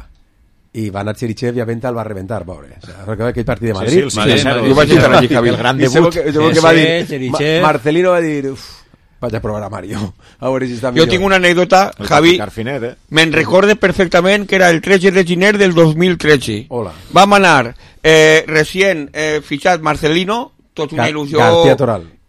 I va anar Cherichev i a venta el va reventar, pobre. O sea, recordeu aquell partit de Madrid? Sí, sí, el, sí, sí, jo vaig estar allí, Javi. El gran I debut. Que, que, que va dir, Ma Marcelino va dir, uf, vaig a provar a Mario. A veure si està millor. Jo tinc una anècdota, Javi, eh? me'n recorde perfectament que era el tretze de gener del dos mil tretze. Hola. Vam anar eh, recient eh, fitxat Marcelino, tot una il·lusió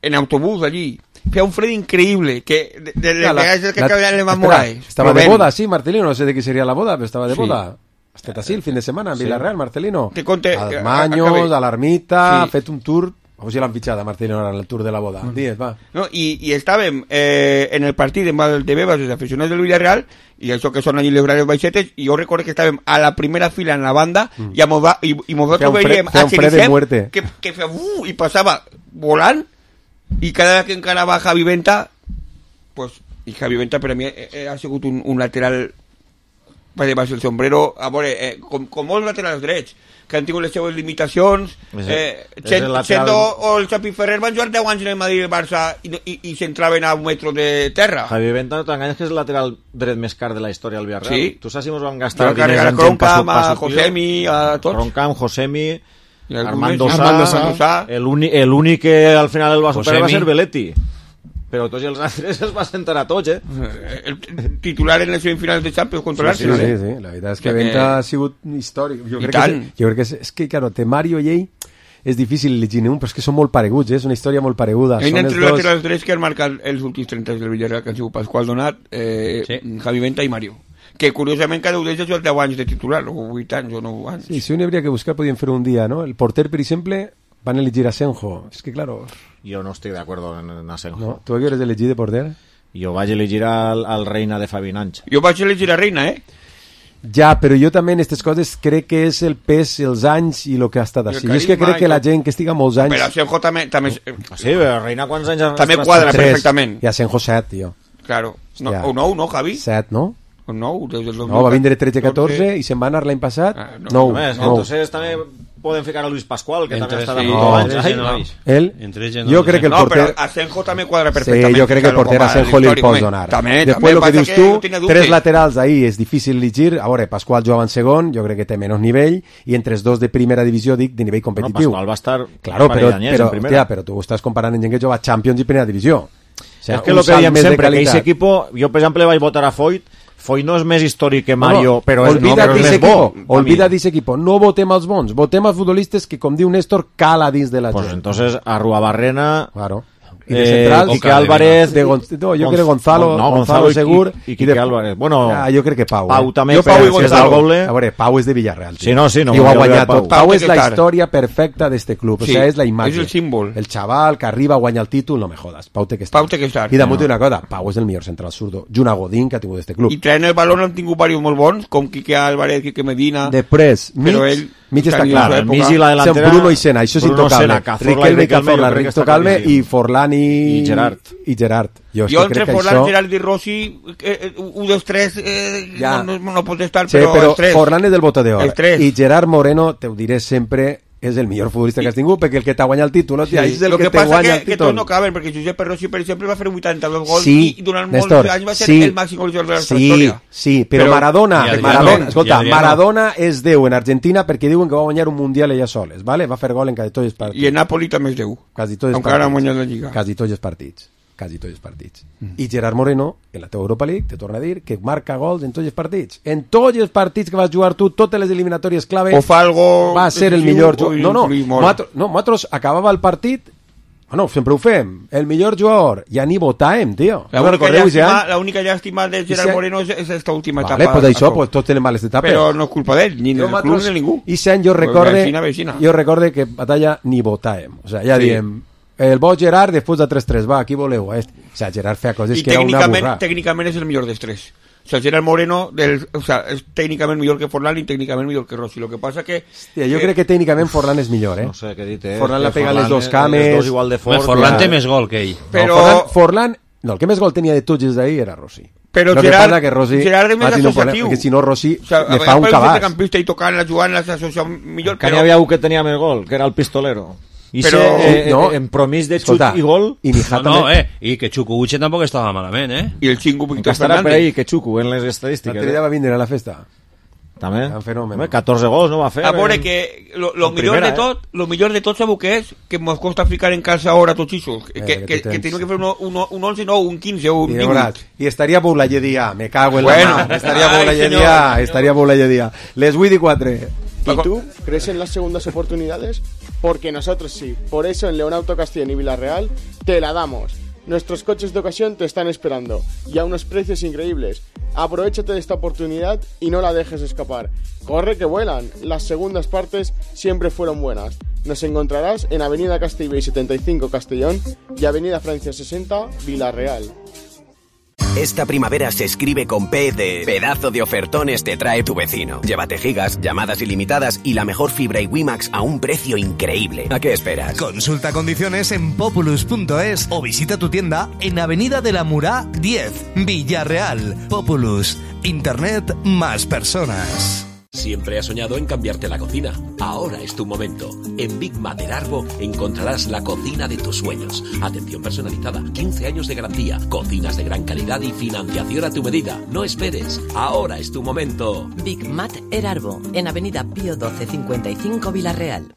en autobús allí. Feia un fred increïble que de, de, de, la, de que la, le van Moraes. Estava de boda, sí, Marcelino, no sé de què seria la boda, però estava de sí. boda. Estat així el fin de setmana en sí. Villarreal, Marcelino. Te conte, als Maños, a l'Ermita, sí. ha fet un tour, o sigui l'han fitxat a Marcelino en el tour de la boda. Mm. Digues, va. No, i, i estàvem eh, en el partit de Valdebebas, els aficionats del Villarreal, i això que són allí les grans baixetes, i jo recordo que estàvem a la primera fila en la banda, mm. i, mos va, i, i nosaltres veiem a Cherichev que, que feia uh, i passava volant, i cada vegada que encara va Javi Venta, pues, i Javi Venta per a mi eh, ha sigut un, un lateral per debaix del sombrero, a veure, eh, com, com molts laterals drets, que han tingut les seues limitacions, eh, Chen, el Chendo o el Xapi Ferrer van jugar deu anys en el Madrid i el Barça i, i, i s'entraven a un metro de terra. Javi Venta, no t'enganyes que és el lateral dret més car de la història del Villarreal. Sí. Tu saps si mos vam gastar diners en gent Croncam, a Josemi, a tots. Croncam, Josemi... Armando Messi, Sá, Armando Sá. Sá. el únic, el únic que al final el va superar va Josemi. ser Belletti. Però tots els altres es va sentar a tots, eh? El titular en les semifinals de Champions contra Sí, l'Arsenal. sí, sí, la veritat és que Venta ha sigut històric. Jo crec, que, és- jo crec que és, és que, claro, té Mario i ell és difícil llegir un, però és que són molt pareguts, eh? És una història molt pareguda. Hay Són els entre dos... laterals drets que han marcat els últims trenta del Villarreal, que han sigut Pasqual Donat, eh, sí. Javi Venta i Mario. Que curiosament cada un d'ells ha jugat deu anys de titular, o vuit anys o nou anys. Sí, si un hauria que buscar podien fer un dia, ¿no? El porter, per exemple, van elegir a Senjo. És que, claro... Jo no estic d'acord en, en Asenjo. No? Tu qui eres elegir de porter? Jo vaig elegir al, al Reina de Fabi Nanch. Jo vaig elegir a Reina, eh? Ja, però jo també en aquestes coses crec que és el pes, els anys i el que ha estat així. Jo és que crec que la gent que estiga molts anys... Però Asenjo també... també sí, però Reina quants anys... També quadra perfectament. I Asenjo set, tio. Claro. No, Hòstia. o nou, no, Javi? set, no? O nou, des del dos mil No, va vindre tretze catorze i se'n va anar l'any passat. Ah, no. nou. Només, nou. entonces també poden ficar a Luis Pascual, que Entre també està sí. de No, anys. entre Ai, sí no no. veis. Ell, Entre ells jo crec que el no, porter... però Asenjo també quadra Sí, perfectament. jo crec que el porter a Asenjo li el pots donar. També, Després, el que dius que tu, no tenia dubtes. tres laterals ahí és difícil elegir. A veure, Pasqual jugava en segon, jo crec que té menys nivell, i entre els dos de primera divisió, dic, de nivell competitiu. No, Pasqual va estar Claro, un parell però, d'anyets però, en primera. hòstia, però tu estàs comparant amb gent que juga a Champions i primera divisió. O sea, és que un el que salt diem més de sempre, que qualitat. aquest equip, jo per exemple vaig votar a Foyt, Foyt no és més històric que Mario, no, però és, no, olvida però és d'ese més bo. equipo, olvida d'ese equipo, no votem als bons, votem als futbolistes que, com diu Néstor, cala dins de la Pues gent. entonces a Ruabarrena, claro. I de eh, central, Quique Álvarez, de Gon no, jo crec que Gonzalo, no, Gonzalo, i- segur, i, i Quique Álvarez. Bueno, ah, jo crec que Pau. Pau eh? també, jo Pau i si és del Gonzalo. Goble. A veure, Pau és de Villarreal. Sí, no, sí, no, I ho ha jo crec guanyat Pau. tot. Pau Pau és la Quetar. història perfecta d'este club. O Sí, sea, és la imatge. és el símbol. El xaval que arriba a guanyar el títol, no me jodas. Pau té que estar. Pau té que estar. I damunt No. una cosa, Pau és el millor central zurdo. Junt a Godín, que ha tingut este club. I traient el balón han tingut diversos molt bons, com Quique Álvarez, Quique Medina... Després, mig, però ell mig està tenia clar. la el seva mig època. i la delantera... Són Bruno i Sena, això és Bruno, intocable. Sena, Cazorla i Riquelme i Riquelme, Cazorla, jo crec que està intocable, claríssim. i Forlán i... I Gerard. I Gerard. Jo, és Jo que entre crec que Forlán, això... Gerard i Rossi, eh, eh, un dels tres eh, Ja. no, no, no pot estar, Sí, però, però els tres. Forlán és del Bota d'Or. Els tres. I Gerard Moreno, te ho diré sempre, és el millor futbolista que has tingut, perquè el que t'ha guanyat el títol, hòstia, és el Lo que, que te passa guanya que, el que tots títol. no caben, perquè Josep Rossi, per exemple, va fer vuitanta-dos gols Sí, i durant Néstor, molts anys va ser sí. el màxim golejador de la nostra Sí, història. sí, però, Però- Maradona, I Adriano, Maradona, i escolta, Adriano. Maradona és Déu en Argentina perquè diuen que va guanyar un Mundial ella soles, ¿vale? Va fer gol en quasi tots els partits. I en Napoli també és Déu. Quasi tots els Encara ha partits. guanyat la Lliga. Quasi tots els partits. Quasi tots els partits. I Gerard Moreno, en la teva Europa League, te torna a dir que marca gols en tots els partits. En tots els partits que vas jugar tu, totes les eliminatòries clave, O fa algo va ser el decisiu millor o jugador. No, no, influir molt. nosaltres, no, nosaltres acabava el partit, bueno, sempre ho fem, el millor jugador, ja ni votàvem, tio. La No única, recordeu, llàstima, ja? la única llàstima de Gerard Ese- Moreno és, és esta última Vale, etapa. pues això, Això. pues tots tenen males etapes. Però no és culpa d'ell, ni Jo, del club nosaltres, ni de ningú. I aquest any jo Pues recorde, vecina, vecina. jo recorde que batalla ni votàvem. O sea, ja Sí. diem, el bo Gerard després de tres tres, va, aquí voleu. Este. O sea, Gerard feia coses I que era una tècnicament, burra. tècnicament és el millor dels tres. O sea, Gerard Moreno del, o sea, és tècnicament millor que Forlán i tècnicament millor que Rossi. Lo que passa que... Hòstia, jo crec que tècnicament Forlán és millor, eh? No sé què dit, eh? Forlán la Que pega a les Forlán, dos eh, cames. les dos igual de fort. Forlán ja. té més gol que ell. Però- No, Forlán, Forlán, no, el que més gol tenia de tots els d'ahir era Rossi. Però Lo que Gerard, passa que Rossi Gerard és més va tenir un problema, associatiu. perquè si no Rossi O sea, le fa un cabàs. cabàs. campista i tocant la jugant, les associa millor, Que n'hi però... havia un que tenia més gol, que era el pistolero. I Però- se, eh, no. en promís de xut Escolta, i gol, I Mijat No, no, també. eh, i que Chukwueze tampoc estava malament, eh? I el xingo Víctor que estarà per Fernández. ahí, que xuco en les estadístiques. L'altre dia Eh? va vindre a la festa. També. Un fenomen. Home, catorze gols no va fer. A veure en- que lo, lo en millor primera, de tot, lo millor de tot sabeu què és? Que mos costa ficar en casa ara tots ixos. Que, Eh, que, que que, tu que tens. tenim que fer un, un, un onze, no, un quinze o un I, divuit. veuràs, I estaria Boulaye dia, me cago en Bueno. la mà. Estaria Ai, Boulaye senyor. dia, estaria Boulaye dia. Les vuit i quatre. ¿Y tú crees en las segundas oportunidades? Porque nosotros sí. Por eso en Leonauto Castellón y Villarreal te la damos. Nuestros coches de ocasión te están esperando y a unos precios increíbles. Aprovechate de esta oportunidad y no la dejes escapar. Corre que vuelan. Las segundas partes siempre fueron buenas. Nos encontrarás en Avenida Castellbell setenta y cinco Castellón y Avenida Francia sesenta Villarreal. Esta primavera se escribe con P de pedazo de ofertones te trae tu vecino. Llévate gigas, llamadas ilimitadas y la mejor fibra y WiMax a un precio increíble. ¿A qué esperas? Consulta condiciones en populus punto es o visita tu tienda en Avenida de la Murá diez, Villarreal. Populus, Internet más personas. Siempre has soñado en cambiarte la cocina. Ahora es tu momento. En Big Mater Arbo encontrarás la cocina de tus sueños. Atención personalizada, quince años de garantía, cocinas de gran calidad y financiación a tu medida. No esperes. Ahora es tu momento. Big Mat Erarbo, en Avenida Pío doce cincuenta y cinco Villarreal.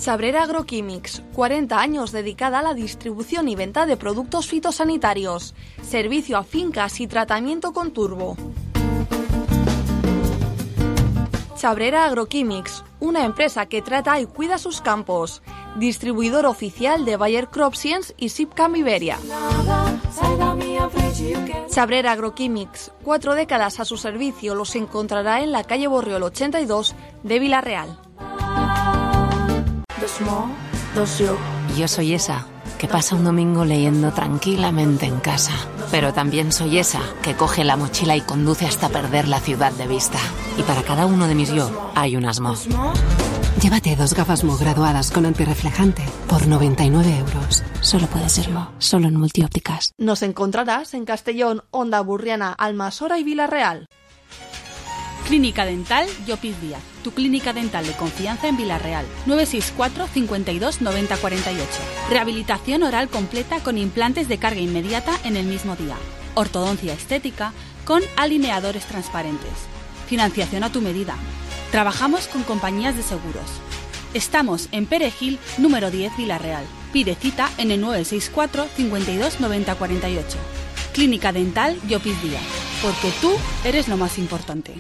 Chabrera Agroquímics, cuarenta años dedicada a la distribución y venta de productos fitosanitarios. Servicio a fincas y tratamiento con turbo. Chabrera Agroquímics, una empresa que trata y cuida sus campos. Distribuidor oficial de Bayer Crop Science y Sipcam Iberia. Chabrera Agroquímics, cuatro décadas a su servicio, los encontrará en la calle Borriol ochenta y dos de Villarreal. Yo soy esa que pasa un domingo leyendo tranquilamente en casa, pero también soy esa que coge la mochila y conduce hasta perder la ciudad de vista. Y para cada uno de mis yo hay un Asmo. Llévate dos gafas Mo graduadas con antirreflejante por noventa y nueve euros. Solo puede ser Mo, solo en Multiópticas. Nos encontrarás en Castellón, Onda Burriana, Almasora y Villarreal. Clínica Dental Llopis Díaz, tu clínica dental de confianza en Villarreal. nueve seis cuatro, cincuenta y dos, noventa cuarenta y ocho. Rehabilitación oral completa con implantes de carga inmediata en el mismo día. Ortodoncia estética con alineadores transparentes. Financiación a tu medida. Trabajamos con compañías de seguros. Estamos en Perejil, número diez, Villarreal. Pide cita en el nueve seis cuatro, cincuenta y dos, noventa cuarenta y ocho. Clínica Dental Llopis Díaz, porque tú eres lo más importante.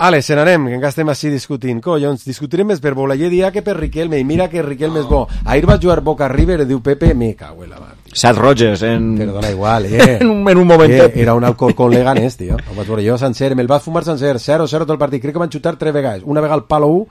Ale, se n'anem, que encara estem així discutint. Collons, discutirem més per Bolaller dia que per Riquelme, i mira que Riquelme és bo. Ahir va jugar Boca River, diu Pepe, me cago en la mar. Seth Rogers, en... Perdona, igual, eh. en, un, en un momentet. Eh, era un Alcorcón Leganés, tio. Ho vaig veure jo sencer, me'l vaig fumar sencer, cero cero tot el partit. Crec que van xutar tres vegades. Una vegada al palo u,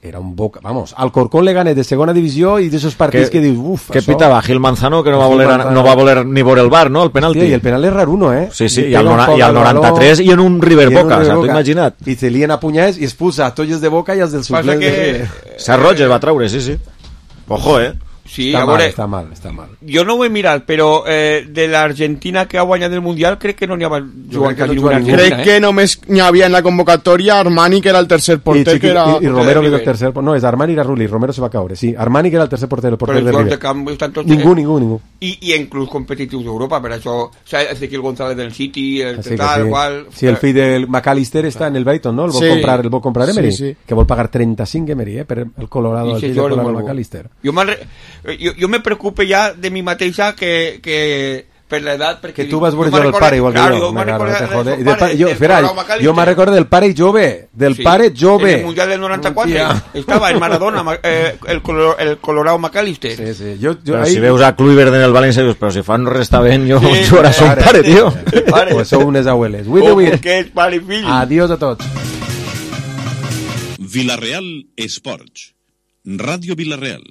era un Boca, vamos, Alcorcón Leganés de segona divisió i d'esos partits que, que dius, uf, que això... pitava Gil Manzano, que no va, voler, no va voler ni veure el bar, no?, el penalti. Hòstia, i el penal és raruno, eh? Sí, sí, i, i, al, nona, i al noranta-tres i en un River Boca, o sea, t'ho imagina't. I se lien a punyets i expulsa a tots els de Boca i els del suplent. Que... De... Seth Rogers va treure, sí, sí. Ojo, eh? Sí, està, a mal, veure, està mal, està mal. Jo no ho he mirat, però eh, de l'Argentina que ha guanyat el Mundial crec que no n'hi ha jugant quasi ninguna Argentina. Crec eh? que només n'hi havia en la convocatòria Armani, que era el tercer porter. I, que era... I, i Romero, que era el tercer... No, és Armani i era Rulli, Romero se va caure, sí. Armani, que era el tercer porter, el porter però de River. Camp, tots, ningú, ningú, ningú. I, i en clubs competitius d'Europa, per això, o sea, Ezequiel González del City, el sí, tal, sí. qual... Sí, el fill del McAllister està en el Brighton, no? El vol sí. comprar, el vol comprar Emery, sí, sí. que vol pagar trenta-cinc Emery, eh, per el Colorado, el fill del Colorado McAllister. Jo, jo, jo me preocupe ja de mi mateixa que, que per l'edat... Que tu vas veure jo el pare igual que claro, jo. jo me'n recordo del pare, jo, espera, jo me'n recordo del pare jove, del sí, pare jove. En el Mundial del noranta-quatre estava en Maradona, eh, el, el Colorado McAllister. Sí, sí. Jo, jo, però ahí... si veus a Kluivert en el València, dius, però si fan res està ben, jo sí, jugarà son pare, tio. Pues sou unes abueles. Oh, perquè és pare i fill. Adiós a tots. Villarreal Esports. Ràdio Villarreal.